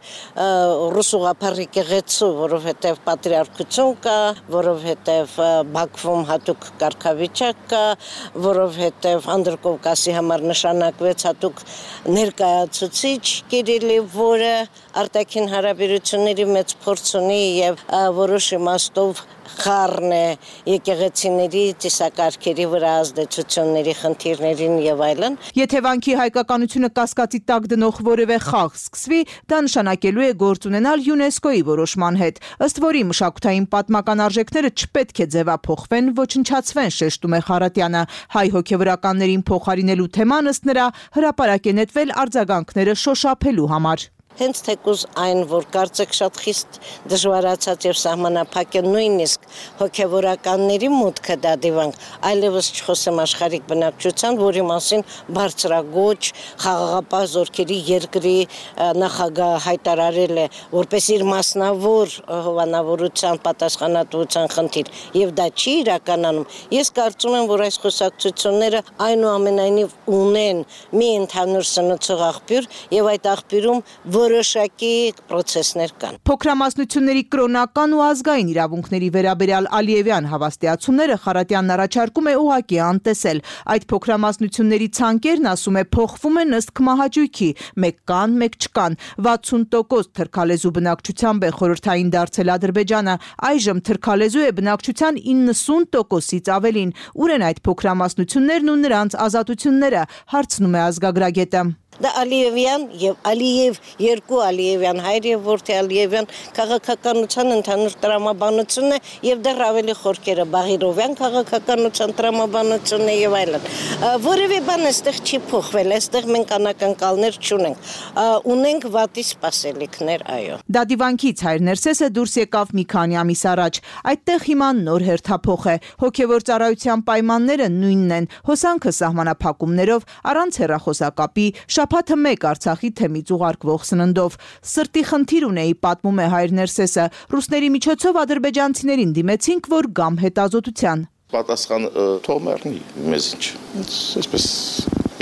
ռուս ուղղափառ եկեղեցու, որովհետև պատրիարքություն կա, որովհետև Բաքվում հատուկ կարգավիճակ կա, որովհետև Անդրկովկասի համար նշանակվեց հատուկ ներկայացուցիչ Կիրիլի, որը արտաքին հարաբերությունների մեծ փորձ ունի եւ որոշ իմաստով խառն է եկեղեցիների ծիսակարգերի վրա ազդեցությունների խնդիրներին եւ այլն։ Եթե վանքի հայկականությունը կասկածի տակ դնող որևէ խաղ սկսվի, դա նշանակելու է գործ ունենալ ՅՈՒՆԵՍԿՕ-ի որոշման հետ, ըստ որի մշակութային պատմական արժեքները չպետք է ձևափոխվեն, ոչնչացվեն, շեշտում է Խարատյանը։ Հայ հոգևորականներին փոխարինելու թեման ըստ նրա հրապարակ է նետվել արձագանքները շոշափելու համար։ Հենց թեկուզ այն, որ կարծեք շատ խիստ դժվարացած եւ սահմանափակ է նույնիսկ հոգեվորականների մուտքը դա դիվանք, այլևս չխոսեմ աշխարհիկ բնակչության, որի մասին բարձրագոչ խաղաղապահ զորքերի երկրի նախագահ հայտարարել է, որպես իր մասնավոր հովանավորության պատասխանատվության խնդիր, եւ դա չի իրականանում։ Ես կարծում եմ, որ այս խոսակցությունները այնուամենայնիվ ունեն մի ընդհանուր սնուցող աղբյուր եւ այդ աղբյուրում որոշակի պրոցեսներ կան։ Փոքրամասնությունների կրոնական ու ազգային իրավունքների վերաբերյալ Ալիևյան հավաստիացումները Խարատյանն առաջարկում է ուղղակի անտեսել։ Այդ փոքրամասնությունների ցանկերն, ասում է, փոխվում են ըստ կմահաճույքի, մեկ կան, մեկ չկան։ վաթսուն տոկոս թրքալեզու բնակչությամբ է խորհրդային դարձել Ադրբեջանը, այժմ թրքալեզու է բնակչության իննսուն տոկոսից ավելին։ Ուր են այդ փոքրամասնություններն ու նրանց ազատությունները, հարցնում է ազգագրագետը։ Դա Ալիևյան եւ Ալիև երկու Ալիևյան հայր եւ որդի Ալիևյան քաղաքականության ընդհանուր տրամաբանությունն է եւ դեռ ավելի խորքերը Բաղիրովյան քաղաքականության տրամաբանությունն է եւ այլն։ Որևէ բան այստեղ չի փոխվել, այստեղ մենք անակնկալներ չունենք։ Ունենք վատի սպասելիքներ, այո։ Դադիվանքից հայր Ներսեսը դուրս եկավ մի քանի ամիս առաջ։ Այդտեղ հիմա նոր հերթափոխ է։ Հոգևոր ծառայության պայմանները նույնն են։ Հոսանքը սահմանափակումներով, առանց հեռախոսակապի, շաբաթը մեկ Արցախի թեմից ուղարկվող սննդով։ Սրտի խնդիր ունեի, պատմում է հայր Ներսեսը։ Ռուսների միջոցով ադրբեջանցիներին դիմեցինք, որ գամ հետազոտության։ Պատասխան թող մեռնի, մեզ ինչ։ Այսպես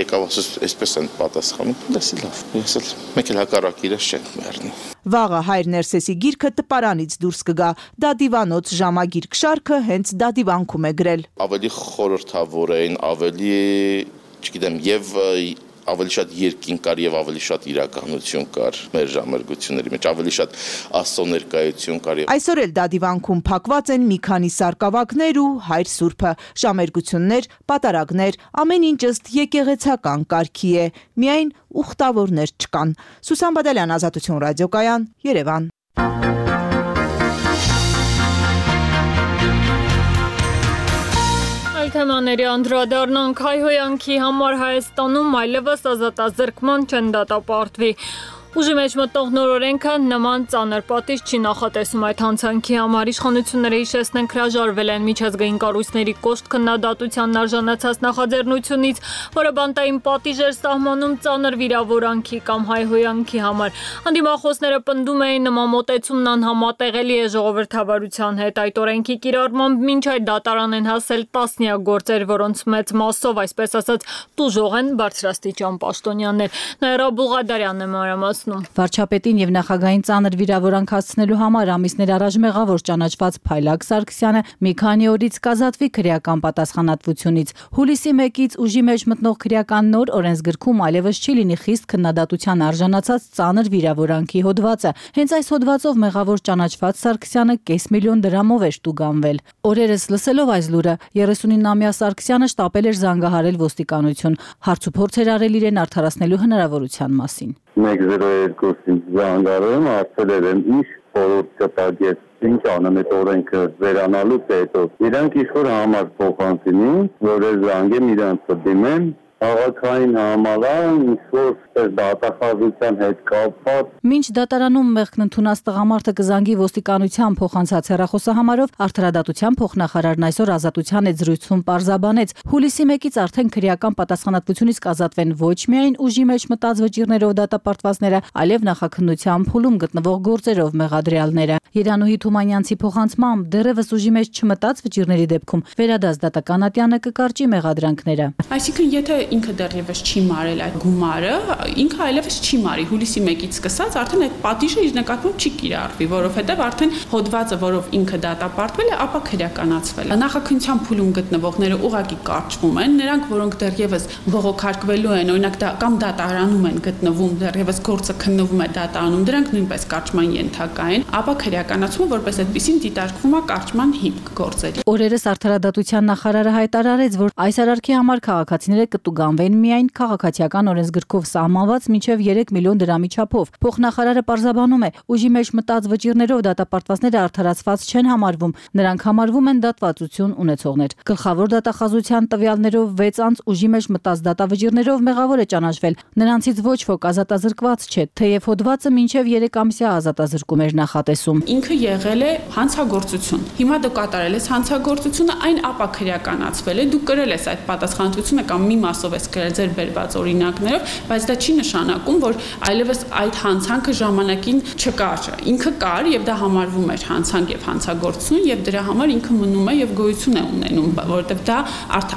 եկավ ասես, այսպես են պատասխանում, դասի լավ։ Ես էլ մեկ էլ հակառակ իրես չենք մեռնի։ Վաղը հայր Ներսեսի գիրքը տպարանից դուրս կգա։ Դադիվանոց ժամագիրք շարքը հենց Դադիվանքում է գրել։ Ավելի խորհրդավոր էին, ավելի, չգիտեմ, եւ ավելի շատ երկին կար եւ ավելի շատ իրականություն կար մեր ժամերգությունների մեջ, ավելի շատ աստծո ներկայություն կար։ Այսօր էլ Դադիվանքում փակված են մի քանի սարկավակներ ու հայր սուրբը, ժամերգություններ, պատարագներ, ամեն ինչ ըստ եկեղեցական կարգի է, միայն ուխտավորներ չկան։ Սուսան Բադալյան, Ազատություն ռադիոկայան, Երևան։ Թեմաների անդրադառնանք հայհոյանքի համար Հայաստանում այլևս ազատազրկման չեն դատապարտվի։ Ուժի մեջ մտնող նոր օրենքը նման ծանր պատիժ չի նախատեսում այդ հանցանքի համար։ Իշխանությունները հիշեցնենք հրաժարվել են միջազգային կառույցների կոշտ քննադատության արժանացած նախաձեռնությունից, որը բանտային պատիժ էր սահմանում ծանր վիրավորանքի կամ հայհոյանքի համար։ Անդիմախոսները պնդում էին նման մոտեցումն անհամատեղելի է ժողովրդավարության հետ։ Այդ օրենքի կիրառմամբ մինչ այդ դատարան են հասել տասնյակ գործեր, որոնց մեծ մասով, այսպես ասած, տուժող են բարձրաստիճան պաշտոնյաներ։ Նաիրա Բուղադարյանն է մանրամասնում։ Վարչապետին եւ նախագահային ծանր վիրավորանք հասցնելու համար ամիսներ առաջ մեղավոր ճանաչված Փայլակ Սարգսյանը մի քանի օրից կազատվի քրեական պատասխանատվությունից։ Հուլիսի մեկից ուժի մեջ մտնող քրեական նոր օրենսգրքում այլևս չի լինի խիստ քննադատության արժանացած ծանր վիրավորանքի հոդվածը։ Հենց այս հոդվածով մեղավոր ճանաչված Սարգսյանը կես միլիոն դրամով է շտուգանվել։ Օրերս լսելով այս լուրը երեսունինամյա Սարգսյանը շտապել էր զանգահարել ոստիկանություն, հարց ու փորձեր արել իրեն արդարացնելու հնարավորության մասին։ մեկ զիրո երկուսից զանգարում ասել էր ինչ խորհուրդ կտագեց, ինչ անեմ այդ օրենքը վերանալուց հետո։ Իրանք ինչ-որ համար փոխանցին, որ զանգեմ իրանց դիմեն, քաղաքային համալան, ինչ-որ դատախազության հետ կապված։ Մինչ դատարանում մեղքն ընդունած տղամարդը կզանգի ոստիկանության փոխանցած հեռախոսահամարով, արդարադատության փոխնախարարն այսօր Ազատության հետ զրույցում պարզաբանեց, հուլիսի մեկից արդեն քրեական պատասխանատվությունից կազատվեն ոչ միայն ուժի մեջ մտած վճիռներով դատապարտվածները, այլև նախաքննության փուլում գտնվող գործերով մեղադրյալները։ Երանուհի Թումանյանցի փոխանցմամբ դեռևս ուժի մեջ չմտած վճիռների դեպքում վերադաս դատական ատյանը կկարճի մեղադրանքները։ Այսինքն, եթե ինքը դեռևս չի մարել այդ գումարը, ինքը այլևս չի մարի հուլիսի մեկից սկսած արդեն այդ պատիժը իր նկատմամբ չի կիրառվի, որովհետև արդեն հոդվածը, որով ինքը դատապարտվել է, ապա քրեականացվել է։ Նախաքննության փուլում գտնվողները ուղղակի կարճվում են, նրանք, որոնք դեռևս բողոքարկվելու են, օրինակ դա կամ դատարանում են գտնվում, դեռևս գործը քննվում է դատարանում, դրանք նույնպես կարճման ենթակա են, ապա քրեականացումը որպես այդպեսին դիտարկվում է կարճման հիմք գործերի։ Օրերս Արդարադատության նախարարը հայտարարեց, որ այս արարքի համար քաղաքացիները կտուգանվեն միայն քաղաքացիական օրենսգրքով սահմանված մինչև երեք միլիոն դրամի չափով։ Փոխնախարարը պարզաբանում է, ուժի մեջ մտած վճիռներով դատապարտվածները արդարացված չեն համարվում, նրանք համարվում են դատվածություն ունեցողներ։ Գլխավոր դատախազության տվյալներով վեց անձ ուժի մեջ մտած դատավճիռներով մեղավոր է ճանաչվել, նրանցից ոչ ոք ազատազրկված չէ, թեև հոդվածը մինչև երեք ամսյա ազատազրկում էր նախատեսում։ Ինքը եղել է հանցագործություն։ Հիմա դու կատարել ես հանցագործությունը, այն ապա քրեականացվել է, դու կրել ես այդ պատասխանատվությունը կամ մի մասով ես կրել ձեր բերված օրինակներով, բայց դա չի նշանակում, որ այլևս այդ հանցանքը ժամանակին չկար։ Ինքը կար եւ դա համարվում էր հանցանք եւ հանցագործություն եւ դրա համար ինքը մնում է եւ գոյություն է ունենում, որովհետեւ դա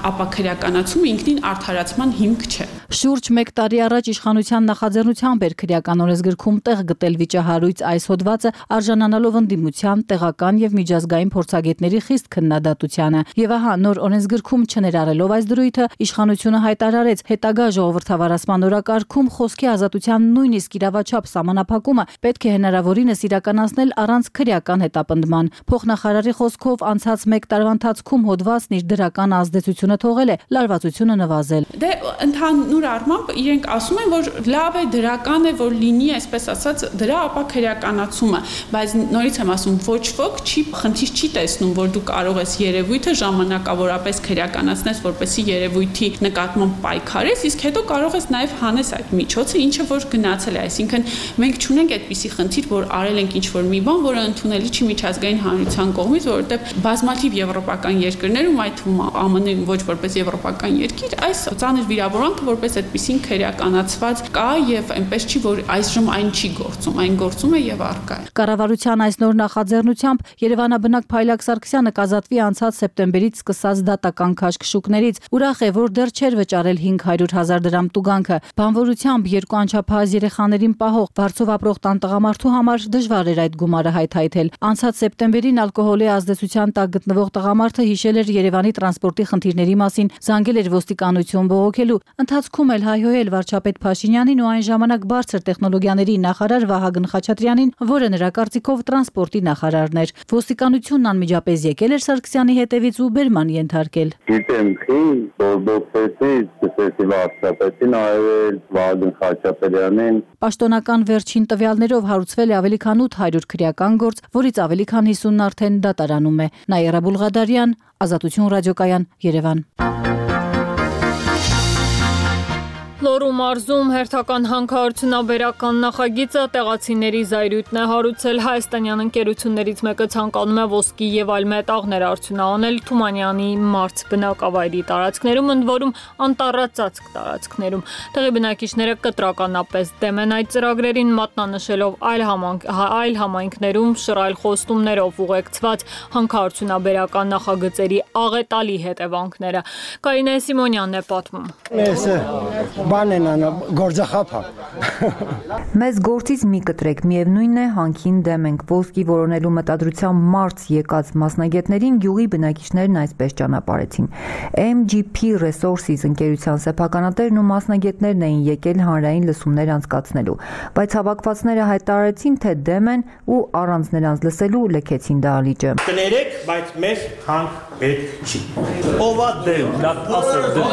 ապա քրեականացումը ինքնին արդարացման հիմք չէ։ Շուրջ մեկ տարի առաջ իշխանության նախաձեռնությամբ էր քրեական օրենսգրքում տեղ գտել վիճահարույց այս հոդվածը, արժանանալով ընդդիմության, տեղական եւ միջազգային փորձագետների խիստ քննադատությանը։ Եվ ահա նոր օրենսգրքում չներառելով այս դրույթը, իշխանությունը հայտարարեց, հետագա ժողովրդավարացման օրակարգում խոսքի ազատության նույնիսկ իրավաչափ սահմանափակումը պետք է հնարավորինս իրականացնել առանց քրեական հետապնդման։ Փոխնախարարի խոսքով անցած մեկ տարվա ընթացքում հոդվածն իր դրական ազդեցությունը թողել է, լարվածությունը նվազել։ Դե ընդհանուր առմամբ իրենք ասում են, որ լավ է, դրական է, որ լինի, այսպես ասած, դրա ապա քրեականացումը, բայց նորից եմ ասում, ոչ ոք չի խնդիր չի տեսնում, որ դու կարող ես երևույթը ժամանակավորապես քրեականացնես, որպեսզի երևույթի նկատմամբ պայքարես, իսկ հետո կարող ես նաև հանես այդ միջոցը, ինչը որ գնացել է, այսինքն մենք չունենք այդպիսի խնդիր, որ արել ենք ինչ-որ մի բան, որը ընդունելի չի միջազգային հանրության կողմից, որովհետև բազմաթիվ եվրոպական երկրներում, այդ թվում Ամն-ում ոչ որպես եվրոպական երկիր, այս ծանր վիրավորանքը որպես այդպիսին քրեականացված կա եւ այնպես չի, որ այժմ այն չի գործում, այն գործում է եւ առկա է։ Կառավարության այս նոր նախաձեռնությամբ Երևանաբնակ Փայլակ Սարգսյանը կազատվի անցած սեպտեմբերից սկսած դատական քաշքշուկներից, ուրախ է, որ դեռ չէր վճարել հինգ հարյուր հազար դրամ տուգանքը։ Բանվորությամբ երկու անչափահաս երեխաներին պահող վարձով ապրող տան տղամարդու համար դժվար էր այդ գումարը հայթայթել։ Անցած սեպտեմբերին ալկոհոլի ազդեցության տակ գտնվող տղամարդը հիշել էր Երևանի տրանսպորտի խնդիրների մասին, զանգել էր ոստիկանություն բողոքելու։ Ընթացքում էլ հայհոյել վարչապետ Փաշինյանին ու այն ժամանակ բարձր տեխնոլոգիաների նախարար Վահագն Խաչատրյանին, որը նրա կարծիքով տրանսպորտի նախարարն էր։ Ոստիկանությունն անմիջապես եկել էր Սարգսյանի հետևից ու բերման ենթարկել։ Գիտեմ, խի բողոքեցի, սկսեցի վարչապետին այրել, Վահագն Խաչատրյանին։ Պաշտոնական վերջին տվյալներով հարուցվել է ավելի քան ութ հարյուր քրեական գործ, որից ավելի քան հիսունն արդեն դատարանում է։ Նաիրա Բուլղադարյան, Ազատություն ռադիոկայան, Երևան։ Լոռու մարզում հերթական հանքարդյունաբերական նախագիծը տեղացիների զայրույթն է հարուցել։ Հայաստանյան ընկերություններից մեկը ցանկանում է ոսկի եւ այլ մետաղներ արդյունահանել Թումանյանի մարզ բնակավայրի տարածքներում, ընդ որում անտառածածկ տարածքներում։ Տեղի բնակիչները կտրականապես դեմ են այդ ծրագրերին, մատնանշելով այլ համանք այլ համայնքներում շռայլ խոստումներով ուղեկցված հանքարդյունաբերական նախագծերի աղետալի հետևանքները։ Կարինե Սիմոնյանն է պատմում։ Բանեն անա գործախափա։ Մեզ գործից մի կտրեք, միևնույնն է հանքին դեմ ենք։ Ոսկի որոնելու մտադրությամբ մարզ եկած մասնագետներին գյուղի բնակիչներն այսպես ճանապարհեցին։ Էմ ջի փի Resources ընկերության սեփականատերն ու մասնագետներն էին եկել հանրային լսումներ անցկացնելու, բայց հավաքվածները հայտարարեցին, թե դեմ են ու առանց նրանց լսելու լքեցին դահլիճը։ Կներեք, բայց մեզ հանք պետք չի։ Ովա դեմ, դա ասել դեմ։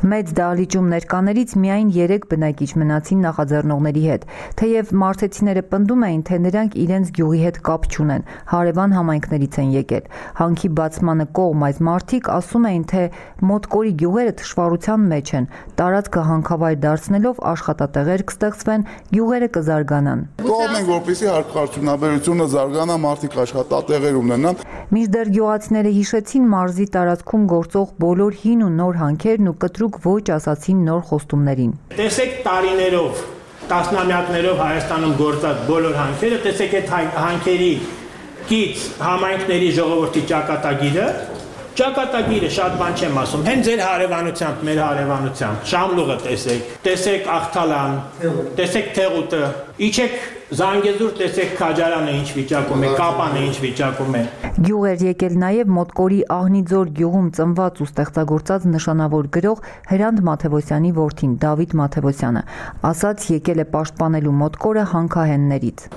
Մեծ դահլիճում ներկաներից միայն երեք բնակիչ մնացին նախաձեռնողների հետ, թեև մարզեցիները պնդում էին, թե նրանք իրենց գյուղի հետ կապ չունեն, հարևան համայնքներից են եկել։ Հանքի բացմանը կողմ այս մարդիկ ասում էին, թե մոտկորի գյուղերը թշվառության մեջ են, տարածքը հանքավայր դարձնելով աշխատատեղեր կստեղծվեն, գյուղերը կզարգանան։ Կողմ են, որպեսզի հանքարդյունաբերությունը զարգանա, մարդիկ աշխատատեղեր ունենան։ Մինչդեռ գյուղացիները հիշեցին մարզի տարածքում գործող բոլոր հին ու նոր հանքերն ու կտրուկ ոչ ասացին նոր խոստումներին։ Տեսեք տարիներով Տասնամյակներով Հայաստանում գործած բոլոր հանքերը, տեսեք այդ հանքերի կից համայնքների ժողովրդի ճակատագիրը, ճակատագիրը շատ բան չեմ ասում, հենց ձեր հարևանությամբ, մեր հարևանությամբ, Շամլուղը տեսեք, տեսեք Աղթալան, տեսեք Թեղուտը, իջեք Զանգեզուր, տեսեք Քաջարանը ինչ վիճակում է, Կապանը ինչ վիճակում է։ Գյուղ էր եկել նաև Մոտկորի Ահնիձոր գյուղում ծնված ու ստեղծագործած նշանավոր գրող Հրանտ Մաթևոսյանի որդին Դավիթ Մաթևոսյանը, ասաց եկել է պաշտպանելու Մոտկորը հանքահեններից։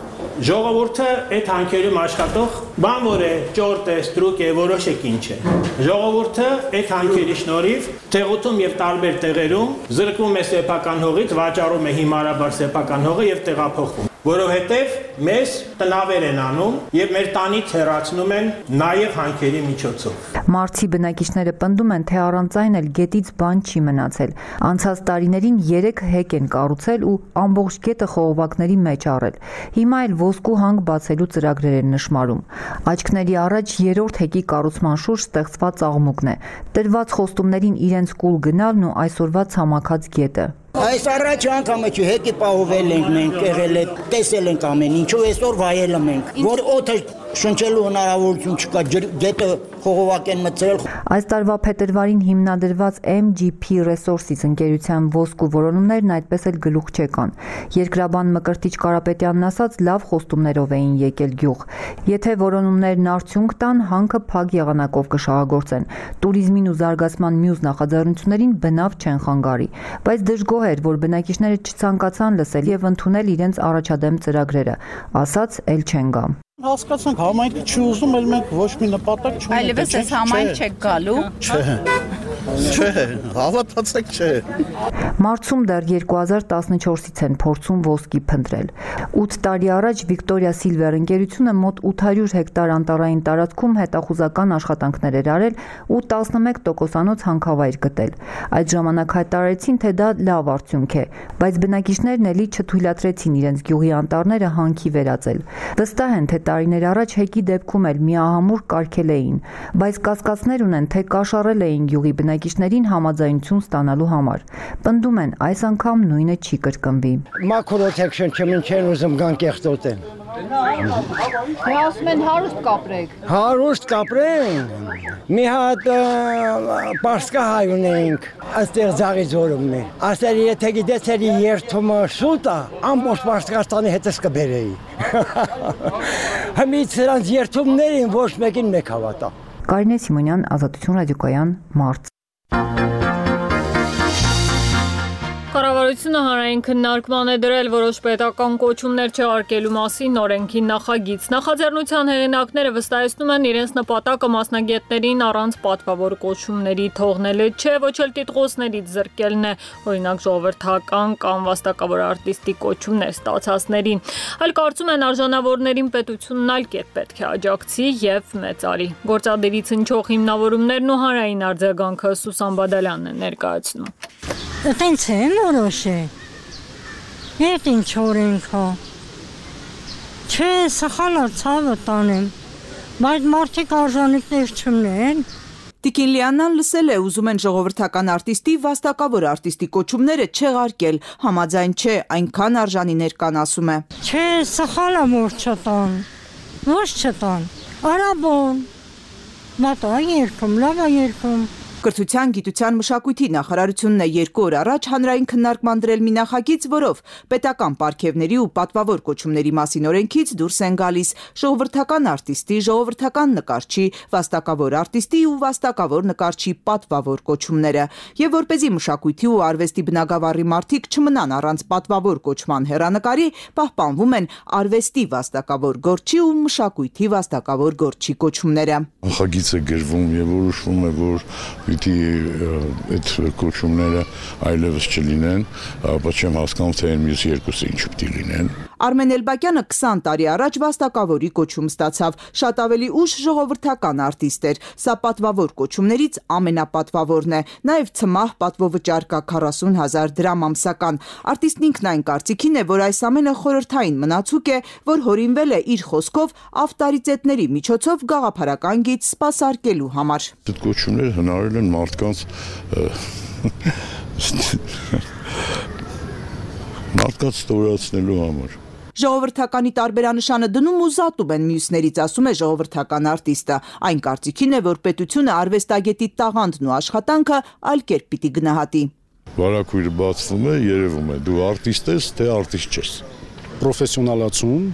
Ժողովուրդը այդ հանքերում աշխատող բան որ է, ճորտ է, ստրուկ է, որոշեք ինչ է։ Ժողովուրդը այդ հանքերի շնորհիվ Թեղուտում եւ տարբեր տեղերում զրկվում է սեփական հողից, վաճառում է հիմարաբար սեփական հողը եւ տեղափոխվում, որովհետեւ մեզ տնավեր են անում եւ մեր տանից հեռացնում են նաեւ հանքերի միջոցով։ Մարցի բնակիչները պնդում են, թե առանց այն էլ գետից բան չի մնացել։ Անցած տարիներին երեք հեկ են կառուցել ու ամբողջ գետը խողովակների մեջ առել։ Հիմա էլ ոսկու հանք բացելու ծրագրեր են նշмарում։ Աչքների առաջ երրորդ հեկի կառուցման շուրջ ստեղծված աղմուկն է։ Տրված խոստումներին իրենց կուլ գնալն ու այսօրվա ցամաքած գետը։ Այս առաջ անգամը չի հեկի պահովել ենք մենք, եղել է, տեսել ենք ամեն ինչու, այսօր վայելը մենք, որ օդը շնչելու հնարավորություն չկա, գետը խողովակ են մտցրել։ Այս տարվա փետրվարին հիմնադրված M G P Resources ընկերության ոսկու որոնումներն այդպես էլ գլուխ չեկան։ Երկրաբան Մկրտիչ Կարապետյանն ասաց, լավ խոստումներով էին եկել գյուղ։ Եթե որոնումներն արդյունք տան, հանքը փակ եղանակով կշահագործեն։ Տուրիզմին ու զարգացման մյուս նախաձեռնություններին բնավ չեն խանգարի, բայց դժգոհ էր, որ բնակիչները չցանկացան լսել եւ ընդունել իրենց առաջադեմ ծրագրերը, ասաց էլ չեն գա։ Հասկացանք, համայնքը չի ուզում, էլ մենք ոչ մի նպատակ չունենք։ Այլևս այս համայնք չեք գալու։ Չէ։ Չէ, հավատացեք չէ։ Մարցում դեռ երկու հազար տասնչորսից են փորձում ոսկի փնտրել։ ութ տարի առաջ Վիկտորիա Սիլվեր ընկերությունը մոտ ութ հարյուր հեկտար անտառային տարածքում հետախուզական աշխատանքներ էր արել ու տասնմեկ տոկոսանոց հանքավայր գտել։ Այդ ժամանակ հայտարարեցին, թե դա լավ արդյունք է, բայց բնակիչներն էլի չթույլատրեցին իրենց գյուղի անտառները հանքի վերածել։ Վստահ են, թե տարիներ առաջ հեկի դեպքում էլ միահամուռ կարգել էին, բայց կասկածներ ունեն, թե կաշառել էին գյուղի բնակիչներին համաձայնություն ստանալու համար։ Պնդում են, այս անգամ նույնը չի կրկնվի։ Մակրոթեքշն չմինչեն ուզում գան կեղտոտեն։ Դե ասում են հարուստ կապրեք։ Հարուստ կապրենք։ Մի հատ պարսկա հայ ունենք, այստեղ ձաղի ձորումն է։ Ասել եթե գիտեցեր երթումը շուտ է, ամբողջ Պարսկաստանի հետս կբերեի։ Հիմից նրանց երթումներին ոչ մեկին մեկ հավատա։ Կարինե Սիմոնյան, Ազատություն ռադիոկայան, մարտ։ Կառավարությունը հանրային քննարկման է դրել որոշ պետական կոչումներ չհարկելու մասին օրենքի նախագիծ։ Նախաձեռնության հեղինակները վստահեցնում են իրենց նպատակը մասնագետներին առանց պատվավոր կոչումների թողնելը չէ, ոչ էլ տիտղոսներից զրկելն է, օրինակ ժողովրդական կամ վաստակավոր արտիստի կոչումներ ստացածներին, այլ կարծում են արժանավորներին պետությունն այլ կերպ պետք է աջակցի եւ մեծարի։ Գործադիրից հնչող հիմնավորումներն ու հանրային արձագանքը Սուսան Բադալյանն է ներկայացնում։ Տենց են որոշե, ետ ինչ օրենք հա, չէ սխալա ծավը տանեմ, բայց մարդիկ արժանիքներ չմնեն։ Տիկին Լիաննան լսել է, ուզում են ժողովրդական արտիստի վաստակավոր արտիստի կոչումները չեղարկել, համաձայն չէ, այնքան արժանիներ կան, ասում է։ Չէ սխալա որ չտան, ոչ չտան, արաբոն, մատա երկում, լավա երկում։ Կրթության, գիտության, մշակույթի նախարարությունն է երկու օր առաջ հանրային քննարկման դրել մի նախագիծ, որով պետական պարգևների ու պատվավոր կոչումների մասին օրենքից դուրս են գալիս ժողովրդական արտիստի, ժողովրդական նկարչի, վաստակավոր արտիստի ու վաստակավոր նկարչի պատվավոր կոչումները, եւ որպեսզի մշակույթի ու արվեստի բնագավառի մարդիկ չմնան առանց պատվավոր կոչման հեռանկարի, պահպանվում են արվեստի վաստակավոր գործչի ու մշակույթի վաստակավոր գործչի կոչումները։ Նախագիծը գրվում եւ որոշվում է, որ Պիտի այդ կոչումները այլևս չլինեն, ապա չեմ հասկանում, թե մյուս երկուսը ինչ պիտի լինեն։ Արմեն Էլբակյանը քսան տարի առաջ վաստակավորի կոչում ստացավ, շատ ավելի ուշ ժողովրդական արտիստ էր, սա պատվավոր կոչումներից ամենապատվավորն է, նաև ցմահ պատվովճար կա քառասուն հազար դրամ ամսական։ Արտիստն ինքն այն կարծիքին է, որ այս ամենը խորհրդային մնացուկ է, որ հորինվել է իր խոսքով ավտորիտետների միջոցով գաղափարական գիծ սպասարկելու համար։ Այդ կոչումները հնարել են մարդկանց Մարդկանց ստորացնելու համար։ Ժողովրդականի տարբերանշանը դնում ու զատում են մյուսներից, ասում է ժողովրդական արտիստը։ Այն կարծիքին է, որ պետությունը արվեստագետի տաղանդն ու աշխատանքը այլ կերպ պիտի գնահատի։ Վարակույրը բացվում է, երևում է, դու արտիստ ես, թե արտիստ չես։ Պրոֆեսիոնալացում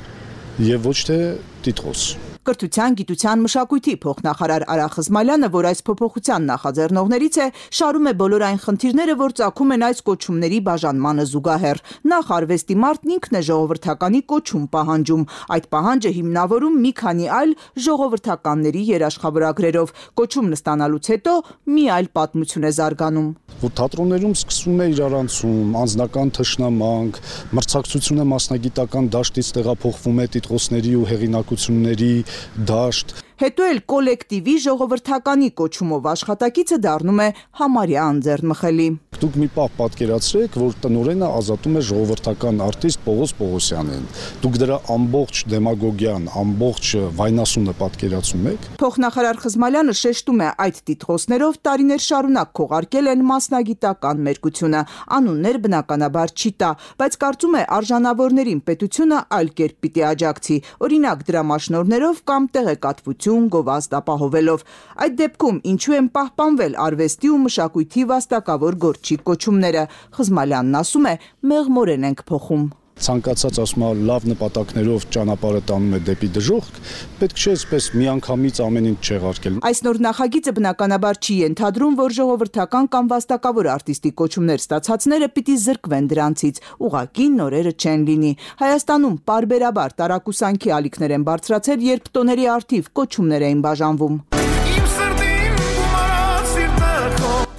եւ ոչ թե տիտղոս։ Կրթության, գիտության, մշակույթի փոխնախարար Արա Խզմալյանը, որ այս փոփոխության նախաձեռնողներից է, շարում է բոլոր այն խնդիրները, որ ծագում են այս կոչումների բաժանմանը զուգահեռ։ Նախ արվեստի մարդն ինքն է ժողովրդականի կոչում պահանջում։ Այդ պահանջը հիմնավորում մի քանի այլ ժողովրդականների երաշխավորագրերով։ Կոչումն ստանալուց հետո մի այլ պատմություն է զարգանում։ Որ թատրոններում սկսվում է իրարանցում, անձնական թշնամանք, մրցակցությունը մասնագիտական դաշտից տեղափոխվում է տիտղոսների ու հեղինակությունների դաշտ։ Հետո էլ կոլեկտիվի ժողովրդականի կոչումով աշխատակիցը դառնում է համարյա անձեռնմխելի։ Դուք մի պահ պատկերացրեք, որ տնօրենը ազատում է ժողովրդական արտիստ Պողոս Պողոսյանին։ Դուք դրա ամբողջ դեմագոգիան, ամբողջ վայնասունը պատկերացում եք։ Փոխնախարար Խզմալյանը շեշտում է, այդ տիտղոսներով տարիներ շարունակ քողարկել են մասնագիտական մերկությունը։ Անուններ բնականաբար չի տա, բայց կարծում է արժանավորներին պետությունը այլ կերպ պիտի աջակցի, օրինակ դրամաշնորհներով կամ տեղեկատվություն գովազդ ապահովելով։ Այդ դեպքում ինչու են պահպանվել արվեստի ու մշակույթի վաստակավոր գործչի կոչումները։ Խզմալյանն ասում է, մեղմորեն ենք փոխում։ Ցանկացած ասում է լավ նպատակներով ճանապարհը տանում է դեպի դժոխք, պետք չէ այսպես միանգամից ամեն ինչ չեղարկել։ Այս նոր նախագիծը բնականաբար չի ենթադրում, որ ժողովրդական կամ վաստակավոր արտիստի կոչումներ ստացածները պիտի զրկվեն դրանցից, ուղղակի նորերը չեն լինի։ Հայաստանում պարբերաբար տարակուսանքի ալիքներ են բարձրացել, երբ տոների առթիվ կոչումներ էին բաժանվում։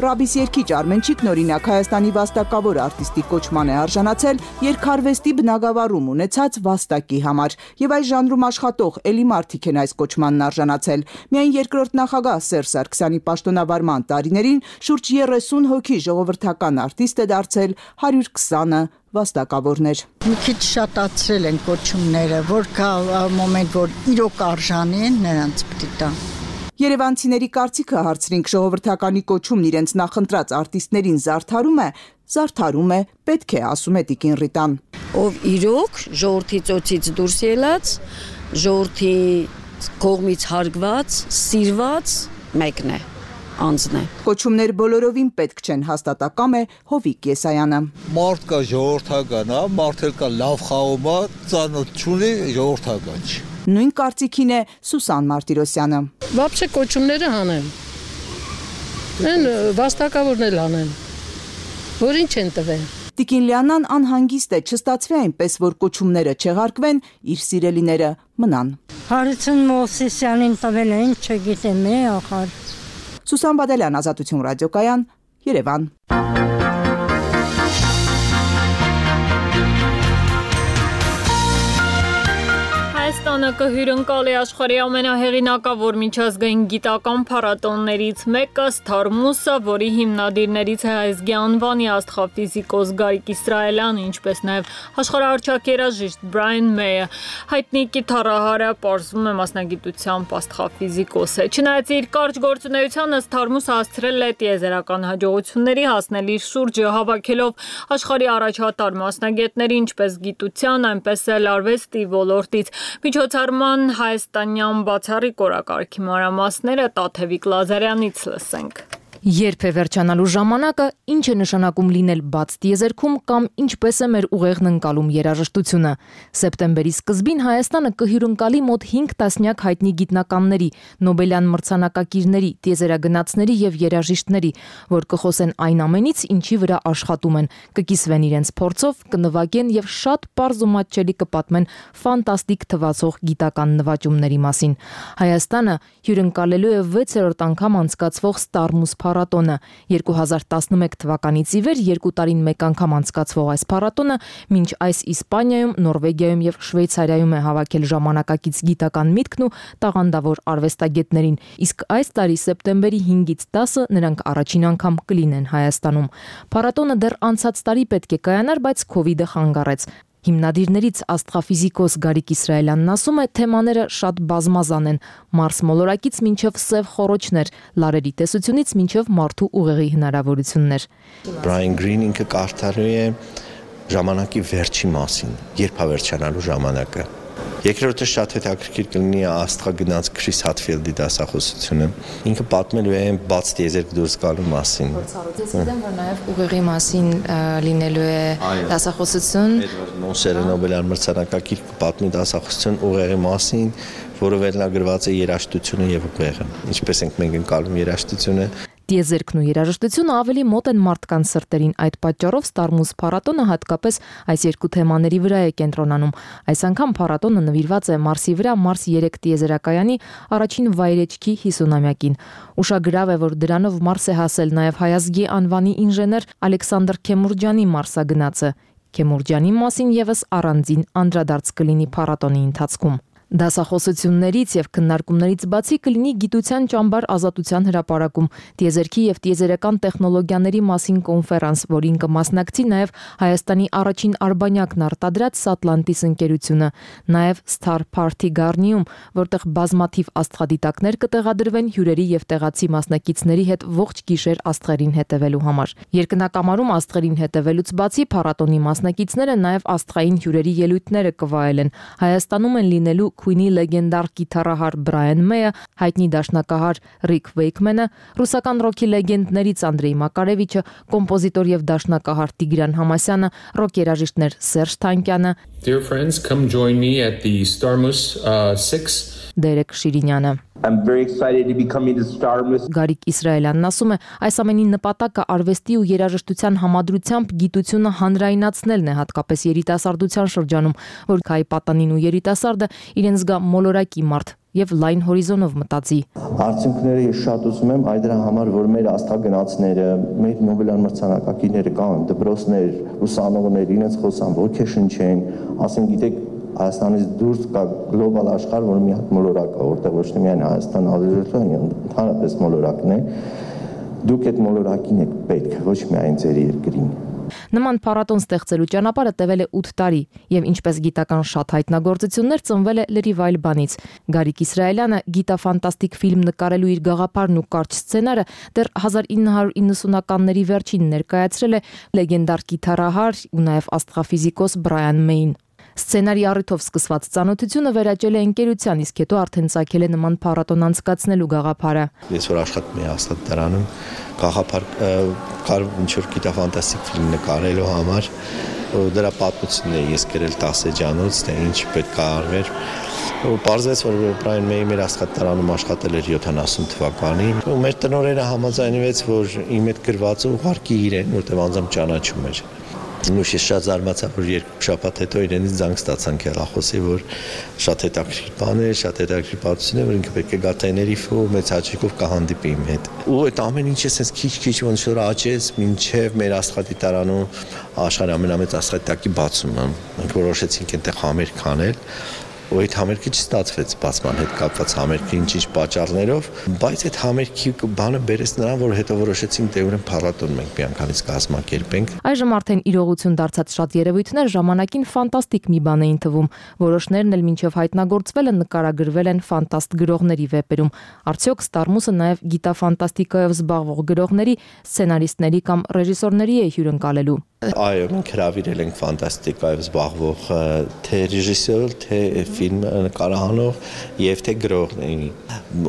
Ռաբիս երգիչ Արմենչիկն օրինակ Հայաստանի վաստակավոր արտիստի կոչման է արժանացել երգարվեստի բնագավառում ունեցած վաստակի համար, եւ այս ժանրում աշխատող էլի մարդիկ են այս կոչմանն արժանացել։ Միայն երկրորդ նախագահ Սերժ Սարգսյանի պաշտոնավարման տարիներին շուրջ երեսուն հոգի ժողովրդական արտիստ է դարձել, հարյուր քսանը վաստակավորներ։ Մի քիչ շատացրել են կոչումները, որ կա մոմենտ, որ իրոք արժանի են, նրանց պիտի տան։ Երևանցիների կարծիքը հարցրինք, ժողովրդականի կոչումն իրենց նախընտրած արտիստներին զարդարում է, զարդարում է, պետք է, ասում է Տիկին Ռիտան։ Ով իրոք ժողովրդի ծոցից դուրս ելած, ժողովրդի կողմից հարգված, սիրված մեկն է, անձն է։ Կոչումներ բոլորովին պետք չեն, հաստատակամ է Հովիկ Եսայանը։ Մարդ կա ժողովրդական, մարդ էլ կա լավ խաղում է, ծանոթ չունի, ժողովրդական չի։ Նույն կարծիքին է Սուսան Մարտիրոսյանը։ Вообще կոչումները հանեն։ Են վաստակավորն էլ հանեն։ Որ ինչ են տվել։ Տիկին Լիանան անհանգիստ է, չստացվի այնպես, որ կոչումները չեղարկվեն, իր սիրելիները մնան։ Հարություն Մովսիսյանին տվել են, չգիտեմ, է ախար։ Սուսան Բադալյան, Ազատություն ռադիոկայան, Երևան։ Հայաստանը կհյուրընկալի աշխարհի ամենահեղինակավոր միջազգային գիտական փառատոններից մեկը Սթարմուսը, որի հիմնադիրներից է Հայզգի անվանի աստղաֆիզիկոս Գարիկ Իսրայելյանը, ինչպես նաև աշխարհահռչակ երաժիշտ Բրայան Մեյը։ Հայտնի կիթառահարը պարզվում է մասնագիտությամբ աստղաֆիզիկոս է։ Չնայած իր կարճ գործունեությանը Սթարմուսը հասցրել է տիեզերական հաջողությունների, հասնել իր շուրջը հավաքելով աշխարհի առաջատար մասնագետների, ինչպես գիտության, այնպես էլ արվեստի ոլորտից։ Միջոցառման հայաստանյան բացառիկ օրակարգի մանրամասները Տաթևիկ Լազարյանից լսենք։ Երբ է վերջանալու ժամանակը, ինչ է նշանակում լինել բաց տիեզերքում կամ ինչպես է մեր ուղեղն ընկալում երաժշտությունը։ Սեպտեմբերի սկզբին Հայաստանը կհյուրընկալի մոտ հինգ տասնյակ հայտնի գիտնականների, Նոբելյան մրցանակակիրների, տիեզերագնացների եւ երաժիշտների, որ կխոսեն այն ամենից, ինչի վրա աշխատում են, կկիսվեն իրենց փորձով, կնվագեն եւ շատ պարզ ու մատչելի կպատմեն ֆանտաստիկ թվացող գիտական նվաճումների մասին։ Հայաստանը հյուրընկալելու է վեցերորդ անգամ անցկացվող Սթարմուս փառատոնը։ երկու հազար տասնմեկ թվականից ի վեր երկու տարին մեկ անգամ անցկացվող այս փառատոնը մինչ այս Իսպանիայում, Նորվեգիայում եւ Շվեյցարիայում է հավաքել ժամանակակից գիտական միտքն ու տաղանդավոր արվեստագետներին, իսկ այս տարի սեպտեմբերի հինգից տասը նրանք առաջին անգամ կլինեն Հայաստանում։ Փառատոնը դեռ անցած տարի պետք է կայանար, բայց Քովիդը խանգարեց։ Հիմնադիրներից աստղաֆիզիկոս Գարիկ Իսրայելյանն ասում է, թեմաները շատ բազմազան են՝ Մարս մոլորակից մինչև սև խոռոչներ, լարերի տեսությունից մինչև մարդու ուղեղի հնարավորություններ։ Բրայան Գրին ինքը կարդալու է ժամանակի վերջի մասին, երբ է վերջանալու ժամանակը։ Երկրորդը շատ հետաքրքիր կլինի աստղագնաց Քրիս Հաթֆիլդի դասախոսությունը։ Ինքը պատմելու է բաց տիեզերք դուրս գալու մասին։ Ես գիտեմ, որ նաև ուղեղի մասին լինելու է դասախոսություն։ Մոնսերը Նոբելյան մրցանակակիր պատմի դասախոսություն ուղեղի մասին, որը վերնագրված է երաժշտությունը եւ ուղեղը։ Ինչպես ենք մենք ընկալում երաժշտությունը։ Տիեզերքն ու երաժշտությունը ավելի մոտ են մարդկանց սրտերին, այդ պատճառով Ստարմուս փառատոնը հատկապես այս երկու թեմաների վրա է կենտրոնանում։ Այս անգամ փառատոնը նվիրված է Մարսի վրա Մարս երեք տիեզերակայանի առաջին վայրեջքի հիսունամյակին։ Ուշագրավ է, որ դրանով Մարս է հասել նաև հայազգի անվանի ինժեներ Ալեքսանդր Քեմուրջյանի մարսագնացը։ Քեմուրջյանի մասին եւս առանձին անդրադարձ կլինի փառատոնի ընթացքում։ Դասախոսություններից եւ քննարկումներից բացի կլինի գիտության ճամբար ազատության հրապարակում, տիեզերքի եւ տիեզերական տեխնոլոգիաների մասին կոնֆերանս, որին կմասնակցի նաեւ Հայաստանի առաջին արբանյակն արտադրած Սատլանտիս ընկերությունը, նաեւ Star Party Garnium, որտեղ բազմաթիվ աստղադիտակներ կտեղադրվեն հյուրերի եւ տեղացի մասնակիցների հետ ողջ գիշեր աստղերին հետևելու համար։ Երկնակամարում աստղերին հետևելուց բացի փառատոնի մասնակիցները նաեւ աստղային հյուրերի ելույթները կվայելեն։ Հայաստանում են լինելու Քուինի լեգենդար գիտարահար Բրայան Մեյը, հայտնի դաշնակահար Ռիկ Վեյքմենը, ռուսական ռոքի լեգենդներից Անդրեյ Մակարևիչը, կոմպոզիտոր եւ դաշնակահար Տիգրան Համասյանը, ռոք երաժիշտներ Սերժ Թանկյանը, Dear friends, come join me at the Starmus uh, six. Դերեկ Շիրինյանը։ I'm very excited to be coming to Starmus. Գարիկ Իսրայելյանն ասում է, այս ամենի նպատակը արվեստի ու երաժշտության համադրությամբ գիտությունը հանրայնացնելն է, հատկապես երիտասարդության շրջանում, որ քայի պատանին ու երիտասարդը իրեն զգա մոլորակի մարդ եւ լայն հորիզոնով մտածի։ Արդյունքները ես շատ ուզում եմ այդ դրա համար, որ մեր աստղագնացները, մեր Նոբելյան մրցանակակիրները կան, դպրոցներ, ուսանողներ, իրենց խոսան, ոգեշնչեն, ասեն, գիտեք, Հայաստանից դուրս կա գլոբալ աշխարհ, որ մի հատ մոլորակ է, որտեղ ոչ միայն Հայաստան, այլ ընդհանրապես մոլորակն է։ Դուք այդ մոլորակին եք պետք, ոչ միայն ձեր երկրին։ Նման փառատոն ստեղծելու ճանապարհը տևել է ութ տարի եւ ինչպես գիտական շատ հայտնագործություններ ծնվել է լրիվ այլ բանից։ Գարիկ Իսրայելյանը գիտաֆանտաստիկ ֆիլմ նկարելու իր գաղափարն ու կարճ սցենարը դեռ հազար ինը հարյուր իննսունականների վերջին ներկայացրել է լեգենդար գիտարահար ու նաեւ աստղաֆիզիկոս Բրայան Մեյին։ Սցենարի առիթով սկսված ծանոթությունը վերաճել է ընկերության, իսկ հետո արդեն ցակել է նման փառատոն անցկացնելու գաղափարը։ Ես որ աշխատում եմ աստղադարանում, գաղափար կար ինչ-որ գիտաֆանտաստիկ ֆիլմ նկարելու համար, դրա պատմությունն է ես գրել տասը էջանոց, թե ինչ պետք է արվեր։ Ու պարզեց, որ Բրայան Մեյը մեր աստղադարանում աշխատել էր յոթանասուն թվականին, ու մեր տնօրենը համաձայնվեց, որ իմ հետ գրվածը ուղարկի իրեն, որտեղ անձամբ ճանաչում էր։ Նույնիսկ ես շատ զարմացա, որ երկու շաբաթ հետո իրենից զանգ ստացանք հեռախոսի, որ շատ հետաքրքիր բան է, շատ հետաքրքիր պատմություն է, որ ինքը պետք է գա Տեներիֆե ու մեծ հաճույքով կհանդիպի իմ հետ։ Ու այդ ամեն ինչը sense քիչ-քիչ ոնց որ աճեց, մինչև մեր աստղադիտարանում աշխարհի ամենամեծ աստղադիտակի բացումը։ Մենք որոշեցինք այնտեղ համերգ անել։ Ու այդ համերգը չստացվեց բացման հետ կապված համերգի ինչ-ինչ պատճառներով, բայց այդ համերգի բանը բերեց նրան, որ հետո որոշեցինք դե ուրեմն փառատոն մենք միանգամից կազմակերպենք։ Այժմ արդեն իրողություն դարձած շատ երևույթներ ժամանակին ֆանտաստիկ մի բան էին թվում։ Որոշներն էլ մինչև հայտնագործվելը նկարագրվել են ֆանտաստ գրողների վեպերում։ Արդյոք Ստարմուսը նաև գիտաֆանտաստիկայով զբաղվող գրողների, սցենարիստների կամ ռեժիսորների է հյուրընկալելու։ Այո, մենք հրավիրել ենք ֆանտաստիկայով զբաղվող թե ռեժիսոր, թե ֆիլմ նկարահանող եւ թե գրողների։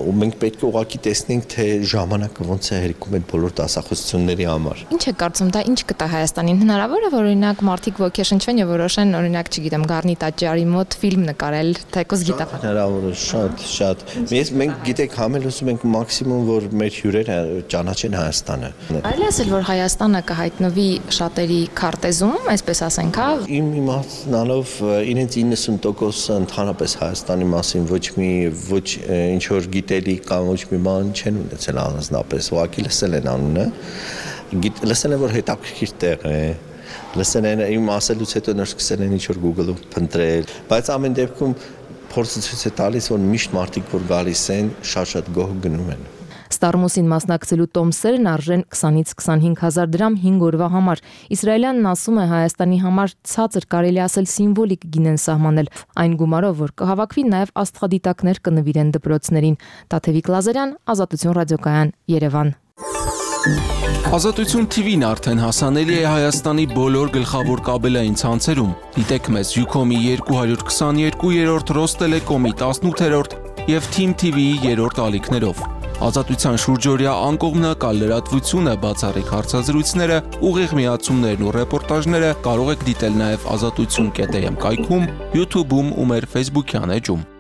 Ու մենք պետք է ուղղակի տեսնենք, թե ժամանակը ոնց է հերիքում այդ բոլոր դասախոսությունների համար։ Ինչ է կարծում, դա ինչ կտա Հայաստանին? Հնարավոր է, որ օրինակ մարդիկ ոգեշնչվեն եւ որոշեն, օրինակ, չգիտեմ, Գառնի տաճարի մոտ ֆիլմ նկարել, թեկոս գիտաֆանտաստիկ։ Հնարավոր է, շատ, շատ։ Մենք մենք գիտեք, համել ուզում ենք մաքսիմում, որ մեր հյուրերը ճանաչեն Հայաստանը։ Այլ ասել, որ Հայաստանը կհայտնվի շատերի քարտեզում, այսպես ասենք, հա։ Իմ իմացնալով իրենց իննսուն տոկոսը ընդհանրապես Հայաստանի մասին ոչ մի ոչ ինչ որ գիտելիք կամ ոչ մի բան չեն ունեցել առանձնապես, ուղղակի լսել են անունը, լսել են, որ հետաքրքիր տեղ է, լսել են իմ ասելուց հետո նոր սկսել են ինչ որ Google-ում փնտրել, բայց ամեն դեպքում փորձը ցույց է տալիս, որ միշտ մարդիկ որ գալիս են, շատ-շատ գոհ գնում են։ Ստարմուսին մասնակցելու տոմսերն արժեն քսանից քսանհինգ հազար դրամ հինգ օրվա համար։ Իսրայելյանն ասում է Հայաստանի համար ցածր կարելի ասել սիմվոլիկ գին են սահմանել այն գումարով, որ կհավաքվի նաև աստղադիտակներ կնվիրեն դպրոցներին։ Տաթևիկ Լազարյան, Ազատություն ռադիոկայան, Երևան։ Ազատություն թի վին արդեն հասանելի է Հայաստանի բոլոր գլխավոր կաբելային ցանցերում։ Դիտեք մեզ Ucom-ի երկու հարյուր քսաներկու, Ռոստելեկոմի տասնութերորդ և Թիմ թի վիի երրորդ ալիքներով։ Ազատության շուրջօրյա անկողմնակալ լրատվությունը, բացառիկ հարցազրույցները, ուղիղ միացումներն ու ռեպորտաժները կարող եք դիտել նաև ազատություն կետ էմ կայքում, YouTube-ում ու մեր Facebook-յան էջում։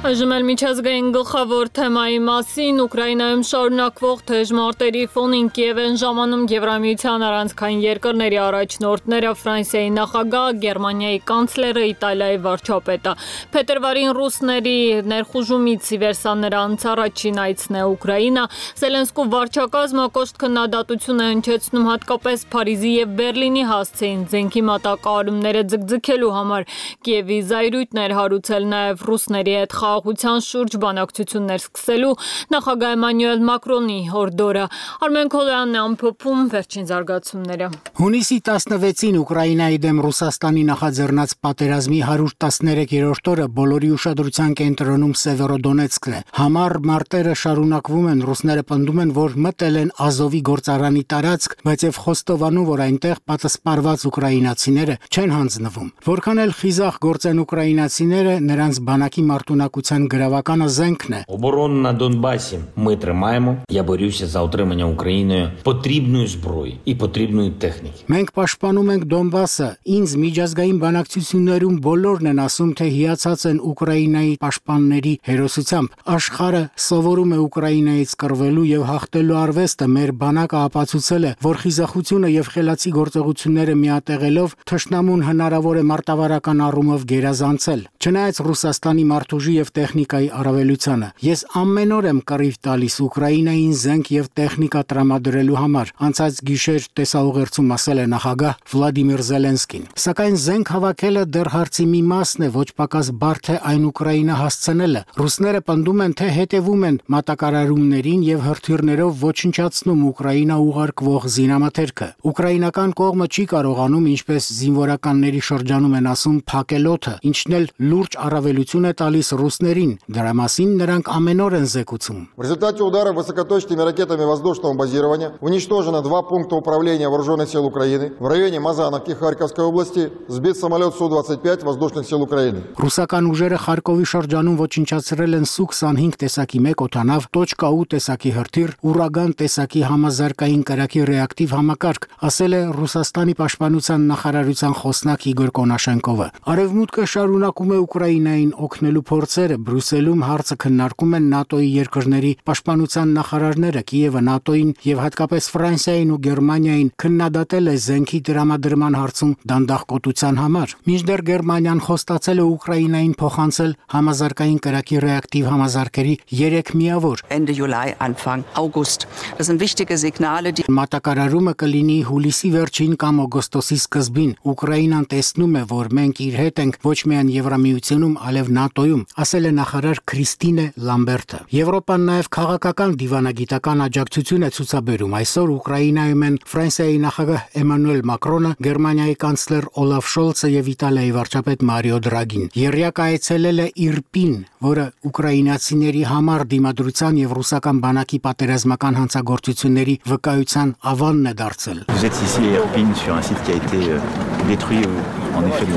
Այժմ էլ միջազգային գլխավոր թեմայի մասին Ուկրաինայում շարունակվող թեժ մարտերի ֆոնին Կիև են ժամանում Եվրամիության առանցքային երկրների առաջնորդները, Ֆրանսիայի նախագահը, Գերմանիայի կանցլերը, Իտալիայի վարչապետը։ Փետրվարին ռուսների ներխուժումից ի վեր սա նրանց առաջին այցն է Ուկրաինա։ Զելենսկու վարչակազմը կոշտ քննադատություն է հնչեցնում հատկապես Փարիզի և Բերլինի հասցեին զենքի մատակարարումները ձգձգելու համար։ Կիևի զայրույթն էր հարուցել նաև ռուսների հետ խաղաղության շուրջ բանակցություններ սկսելու նախագահ Էմանուել Մակրոնի հորդորը։ Արմեն Քոլյանն է ամփոփում վերջին զարգացումները։ Հունիսի տասնվեցին Ուկրաինայի դեմ Ռուսաստանի նախաձեռնած պատերազմի հարյուր տասներեքերորդ օրը բոլորի ուշադրության կենտրոնում Սևերոդոնեցկն է։ Համառ մարտերը շարունակվում են, ռուսները պնդում են, որ մտել են Ազովի գործարանի տարածք, բայց եւ խոստովանում, որ այնտեղ պատասպարված ուկրաինացիները չեն հանձնվում։ Որքան էլ խիզախ գործեն ուկրաինացիները, նրանց բանակի մարտունակության գրավականը զենքն է։ Оборона на Донбасі ми тримаємо. Я борюся за отримання Україною потрібної зброї і потрібної техніки. Մենք պաշտպանում ենք Դոնբասը։ Ինձ միջազգային բանակցություններում բոլորն են ասում, թե հիացած են Ուկրաինայի պաշտպանների հերոսությամբ։ Աշխարհը սովորում է Ուկրաինայից կռվելու եւ հաղթելու արվեստը։ Մեր բանակը ապացուցել է, որ խիզախությունը եւ խելացի գործողությունները միատեղելով թշնամուն հնարավոր է մարտավարական առումով գերազանցել։ Չնայած Ռուսաստանի մարդուժի եւ տեխնիկայի առավելությանը, ես ամեն օր եմ կռիվ տալիս Ուկրաինային զենք եւ տեխնիկա տրամադրելու համար, անցած գիշեր տեսաուղերձում ասել է նախագահ Վլադիմիր Զելենսկին։ Սակայն զենք հավաքելը դեռ հարցի մի մասն է, ոչ պակաս բարդ է այն Ուկրաինա հասցնելը։ Ռուսները պնդում են, թե հետևում են մատակարարումներին եւ հրթիռներով ոչնչացնում Ուկրաինա ուղարկվող զինամթերքը։ Ուկրաինական կողմը չի կարողանում, ինչպես զինվորականների շրջանում են ասում, փակել օդը, ինչն էլ լուրջ առավելություն է տալիս ռուսներին, դրա մասին նրանք ամեն օր են զեկուցում։ В результате удара высокоточными ракетами воздушного базирования уничтожено два пункта управления вооруженных сил Украины. В районе Мазановки Харьковской области сбит самолет Су двадцать пять воздушных сил Украины. Ռուսական ուժերը Խարկովի շրջանում ոչնչացրել են Սու քսանհինգ տեսակի մեկ օդանավ, տոչկաու տեսակի հրթիռ, ուրագան տեսակի համազարգային կրակի ռեակտիվ համակարգ, ասել է Ռուսաստանի պաշտպանության նախարարության խոսնակ Իգոր Կոնաշենկովը։ Արևմուտքը շարունակում է Ուկրաինային օգնելու փորձերը, Բրյուսելում հարցը քննարկում են ՆԱՏՕ-ի երկրների պաշտպանության նախարարները, Կիևը ՆԱՏՕ-ին եւ հատկապես Ֆրանսիային ու Գերմանիային քննադատել է զենքի տրամադրման հարցում դանդաղկոտության համար։ Մինչդեռ Գերմանիան խոստացել է Ուկրաինային փոխանցել համազարգային կրակի ռեակտիվ համազարգերի երեք միավոր։ Ende Juli, Anfang August. Das sind wichtige Signale, die Մատակարարումը կլինի հուլիսի վերջին կամ օգոստոսի սկզբին։ Ուկրաինան տեսնում է, որ մենք իր հետ ենք ոչ միայն Եվրամիությունում, այլև ՆԱՏՕ-ում, ասել է նախարար Քրիստինե Լամբերտը։ Եվրոպան նաև քաղաքական դիվանագիտական աջակցություն է ցուցաբերում։ Այսօր Ուկրաինայում են Ֆրանսիայի նախագահ Էմանուել Մակրոնը, Գերմանիայի կանցլեր Օլաֆ Շոլցը եւ Իտալիայի վարչապետ Մարիո Դրագին։ Եռյակը այցելել է Իրպին, որը ուկրաինացիների համար դիմադրության եւ ռուսական բանակի պատերազմական հանցագործությունների վկայության ավանն է դարձել։ Vous êtes ici à Irpin sur un site qui a été euh, détruit en effet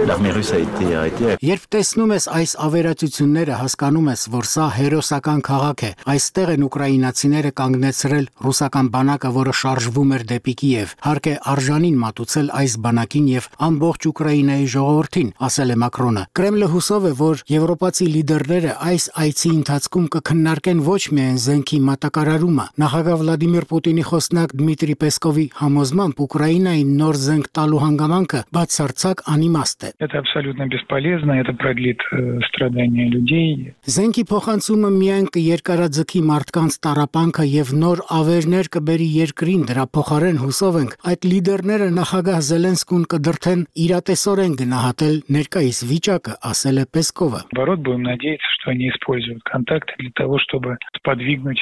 l'armée russe a été arrêtée. Երբ տեսնում ես այս ավերածությունները, հասկանում ես, որ սա հերոսական քաղաք է։ Այստեղ են ուկրաինացիները կանգնեցրել ռուսական բանակը, որը շարժվում էր դեպի Կիև։ Հարկ է արժանին մատուցել այս բանակին եւ ամբողջ Ուկրաինայի ժողովրդին, ասել է Մակրոնը։ Կրեմլը հուսով է, որ եվրոպացի լիդերները այս այցի ընթացքում կքննարկեն ոչ միայն զենքի մատակարարումը։ Նախագահ Վլադիմիր Պուտինի խոսնակ Դմիտրի Պեսկովի համոզմամբ Ուկրաինային նոր զենք տալու հանգամանքը բացարձակ անիմաստ է։ Это абсолютно бесполезно, это продлит страдания людей. Զենքի փոխանցումը միայն կերկարաձգի մարդկանց տառապանքը եւ նոր ավերներ կբերի երկրին, դրա փոխարեն հուսով ենք այդ լիդերները նախագահ Զելենսկուն կդրթեն իրատեսորեն գնահատել ներկայիս վիճակը, ասել է Պեսկովը։ Наоборот, будем надеяться, что они используют контакты для того, чтобы подвигнуть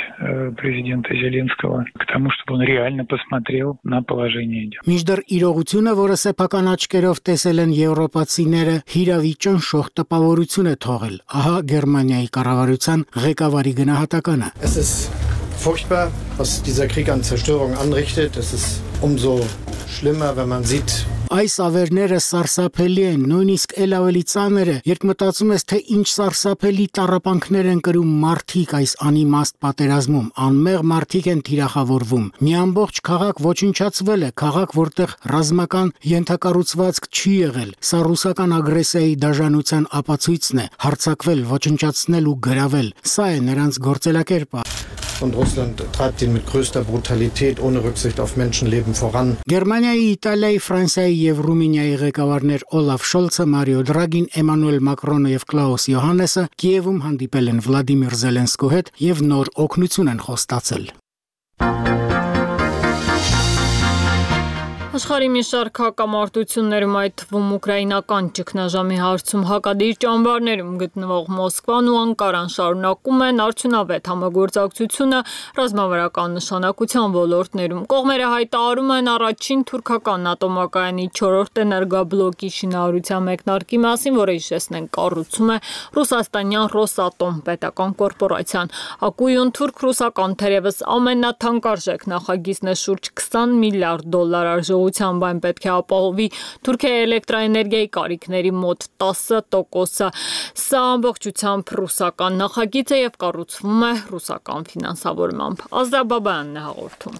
президента Зеленского к тому, чтобы он реально посмотрел на положение дел. Մինչդեռ իրողությունը, որը սեփական աչքեր տեսերով տեսել են եվրոպացիները, հիրավի ճնշող տպավորություն է թողել։ Ահա Գերմանիայի կառավարության ղեկավարի գնահատականը։ Es ist furchtbar, was dieser Krieg an Zerstörung anrichtet. Es ist umso schlimmer, wenn man sieht, Այս ավերները սարսափելի են, նույնիսկ ել ավելի ծանր է, երբ մտածում ես, թե ինչ սարսափելի տառապանքներ են կրում մարդիկ այս անիմաստ պատերազմում, անմեղ մարդիկ են թիրախավորվում։ Մի ամբողջ քաղաք ոչնչացվել է, քաղաք, որտեղ ռազմական ենթակառուցվածք չի եղել։ Սա ռուսական ագրեսիայի դաժանության ապացույցն է, հարձակվել, ոչնչացնել ու գրավել։ Սա է նրանց գործելակերպը։ Und Russland treibt ihn mit größter Brutalität ohne Rücksicht auf Menschenleben voran. Գերմանիայի, Իտալիայի, Ֆրանսիայի եւ Ռումինիայի ղեկավարներ Օլաֆ Շոլցը, Մարիո Դրագին, Էմանուել Մակրոնը եւ Կլաուս Յոհաննեսը Կիևում հանդիպել են Վլադիմիր Զելենսկու հետ եւ նոր օգնություն են խոստացել։ Աշխարհի մի շարք հակամարտություններում, այդ թվում ուկրաինական ճգնաժամի հարցում հակադիր ճամբարներում գտնվող Մոսկվան ու Անկարան շարունակում են արդյունավետ համագործակցությունը ռազմավարական նշանակության ոլորտներում։ Կողմերը հայտարարում են առաջին թուրքական ատոմակայանի չորրորդ էներգաբլոկի շինարարության մեկնարկի մասին, որը հիշեցնենք կառուցում է ռուսաստանյան Ռոսատոմ պետական կորպորացիան։ Ակույուն թուրք-ռուսական թերևս ամենաթանկարժեք նախագիծն է շուրջ քսան միլիարդ դոլար արժողությամբ, այն պետք է ապահովի Թուրքիայի էլեկտրաէներգիայի կարիքների մոտ տասը տոկոսը։ Սա ամբողջությամբ ռուսական նախագիծ է եւ կառուցվում է ռուսական ֆինանսավորմամբ։ Ազդաբաբյանն է հաղորդում։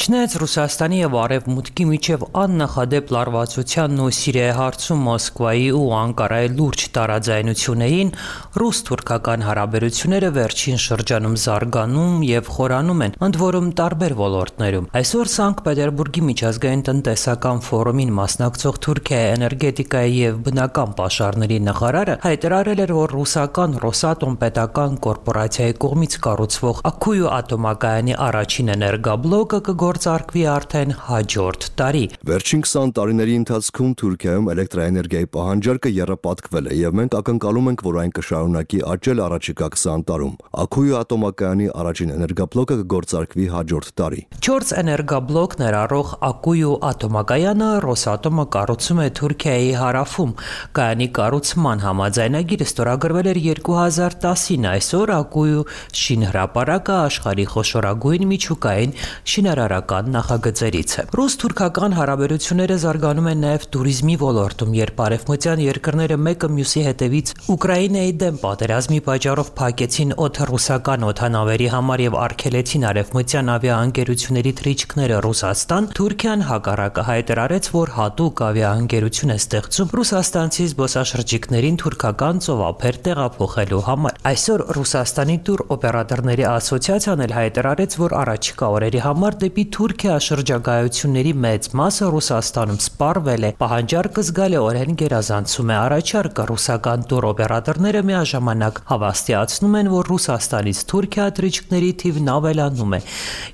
Չնայած Ռուսաստանի եւ Արևմուտքի միջև աննախադեպ լարվածությանն ու Սիրիայի հարցում Մոսկվայի ու Անկարայի լուրջ տարաձայնություններին, ռուս-թուրքական հարաբերությունները վերջին շրջանում զարգանում եւ խորանում են, ընդ որում տարբեր ոլորտներում։ Այսօր Սանկտ Պետերբուրգի միջազգային տնտեսական ֆորումին մասնակցող Թուրքիայի էներգետիկայի եւ բնական պաշարների նախարարը հայտարարել էր, որ ռուսական Ռոսատոմ պետական կորպորացիայի կողմից կառուցվող Ակույու ատոմակայանի առաջին էներգաբլոկը կգործարկվի արդեն հաջորդ տարի։ Վերջին քսան տարիների ընթացքում Թուրքիայում էլեկտրաէներգիայի պահանջարկը եռապատկվել է եւ մենք ակնկալում ենք, որ այն կշարունակի աճել առաջիկա քսան տարում։ Ակույու ատոմակայանի առաջին էներգաբլոկը կգործարկվի հաջորդ տարի։ Չորս էներգաբլոկ ներառող Ակույու ատոմակայանը Ռոսատոմը կառուցում է Թուրքիայի հարավում։ Կայանի կառուցման համաձայնագիրը ստորագրվել էր երկու հազար տասին։ Այսօր Ակույու շինհրապարակը աշխարհի խոշորագույն միջուկային շինարարական նախագծերից է։ Ռուս-թուրքական հարաբերությունները զարգանում են նաև туриզմի ոլորտում, երբ արևմտյան երկրները մեկը մյուսի հետևից Ուկրաինայի դեմ պատերազմի պատճառով փակեցին օդը ռուսական օդանավերի համար եւ արգելեցին արևմտյան ավիաընկերությունների թռիչքները Ռուսաստան, Թուրքիան հակառակը հայտարարեց, որ հատուկ ավիաընկերություն է ստեղծում ռուսաստանցի զբոսաշրջիկներին թուրքական ծովափեր տեղափոխելու համար։ Այսօր Ռուսաստանի տուր օպերատորների ասոցիացիան էլ հայտարարեց, որ առաջիկա օրերի համար դեպի Թուրքիա շրջագայությունների մեծ մասը Ռուսաստանում սպառվել է։ Պահանջարկը զգալիորեն գերազանցում է առաջարկը։ Ռուսական տուր օպերատորները միաժամանակ հավաստիացնում են, որ Ռուսաստանից Թուրքիա թռիչքների թիվն ավելանում է։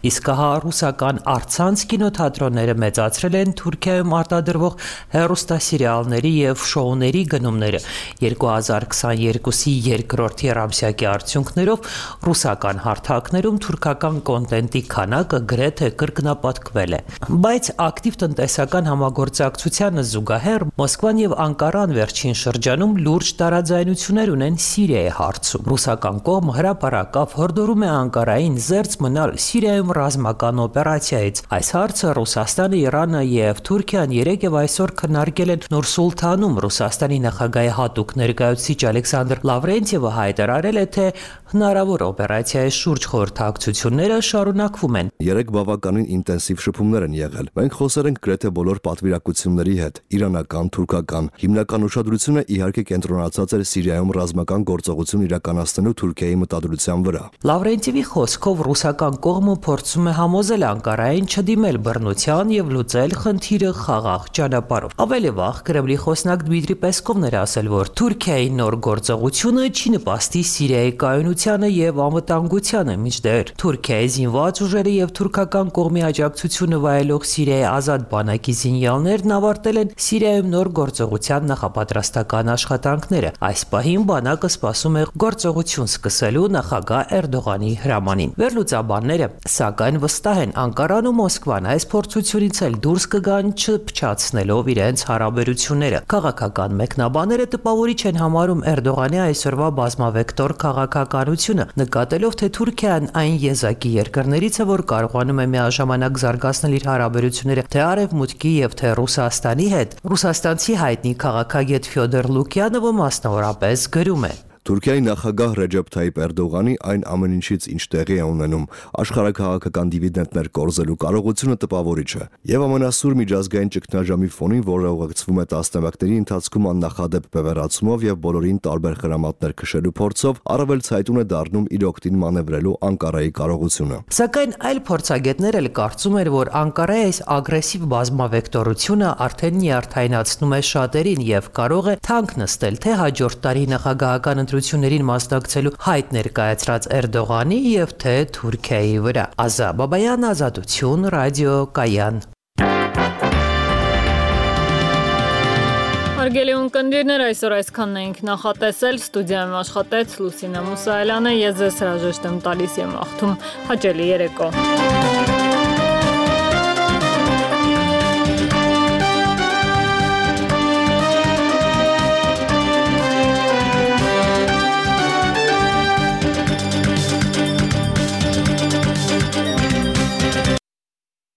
Իսկ հա ռուսական առցանց կինոթատրոնները մեծացրել են Թուրքիայում արտադրվող հեռուստասերիալների եւ շոուների գնումները։ երկու հազար քսաներկուսի երկրորդ եռամսյակի արդյունքներով ռուսական հարթակներում թուրքական կոնտենտի քանակը գրեթե կրկնապատկվել է։ Բայց ակտիվ տնտեսական համագործակցությանը զուգահեռ Մոսկվան եւ Անկարան վերջին շրջանում լուրջ տարաձայնություններ ունեն Սիրիայի հարցում։ Ռուսական կողմը հրապարակավ հորդորում է Անկարային զերծ մնալ Սիրիայում ռազմական օպերացիայից։ Այս հարցը Ռուսաստանը, Իրանը եւ Թուրքիան երեկ եւ այսօր քննարկել են Նուր Սուլթանում։ Ռուսաստանի նախագահի հատուկ ներկայացուցիչ Ալեքսանդր Լավրենտիևը հայտարարել է, թե հնարավոր օպերացիայի շուրջ խորհրդակցությունները շարունակվում են։ Երեք բավականին ինտենսիվ շփումներ են եղել։ Մենք խոսել ենք գրեթե բոլոր պատվիրակությունների հետ՝ իրանական, թուրքական։ Հիմնական ուշադրությունը իհարկե կենտրոնացած էր Սիրիայում ռազմական գործողություն իրականացնելու Թուրքիայի մտադրության վրա։ Լավրենտիևի խոսքով ռուսական կողմը փորձում է համոզել Անկարային չդիմել բռնության եւ լուծել խնդիրը խաղաղ ճանապարհով։ Ավելի վաղ Կրեմլի խոսնակ Դմիտրի Պեսկովն էր ասել, որ Թուրքիայի նոր գործողությունը չի նպաստի Սիրիայի կայունությանը եւ անվտանգությանը, մինչդեռ Թուրքիայի զինված ուժերը եւ թուրքական կողմի աջակցությունը վայելող Սիրիայի ազատ բանակի զինյալներն ավարտել են Սիրիայում նոր գործողության նախապատրաստական աշխատանքները։ Այս պահին բանակը սպասում է գործողություն սկսելու նախագահ Էրդողանի հրամանին։ Վերլուծաբանները սակայն վստահ են Անկարան ու Մոսկվան այս փորձությունից էլ դուրս կգան չփչացնելով իրենց հարաբերությունները։ Քաղաքական մեկնաբանները տպավորիչ են համարում Էրդողանի այսօրվա բազմավեկտոր քաղաքականությունը, նկատելով թե Թուրքիան այն եզակի երկրներից է, որ կարողանում է միաժամանակ զարգացնել իր հարաբերությունները թե Արևմուտքի եւ թե Ռուսաստանի հետ։ Ռուսաստանցի հայտնի քաղաքագետ Ֆյոդոր Լուկյանովը մասնավորապես գրում է. Թուրքիայի նախագահ Ռեջեփ Թայիպ Էրդողանի այն ամեն ինչից ինչ տեղի է ունենում աշխարհաքաղաքական դիվիդենտներ կորզելու կարողությունը տպավորիչ է եւ ամենասուր միջազգային ճգնաժամի ֆոնին, որը ուղեկցվում է տասնամյակների ընթացքում աննախադեպ բևեռացումով եւ բոլորին տարբեր խրամատներ քշելու փորձով, առավել ցայտուն է դառնում իր օգտին մանևրելու Անկարայի կարողությունը։ Սակայն այլ փորձագետներ էլ կարծում են, որ Անկարայի այս ագրեսիվ բազմավեկտորությունը արդեն նյարդայնացնում է շատերին եւ կարող է թանկ նստել թե հաջորդ տարի նախագահական ընտրություններին մասնակցելու հայտ ներկայացրած Էրդողանի եւ թե Թուրքիայի վրա։ Ազա Բաբայան, Ազատություն, ռադիո Կայան։ Հարգելի ունկնդիրներ, այսօր այսքանն էինք նախատեսել, ստուդիայում աշխատեց Լուսինե Մուսայելյանը, ես ձեզ հրաժեշտ եմ տալիս եւ մաղթում հաճելի երեկո։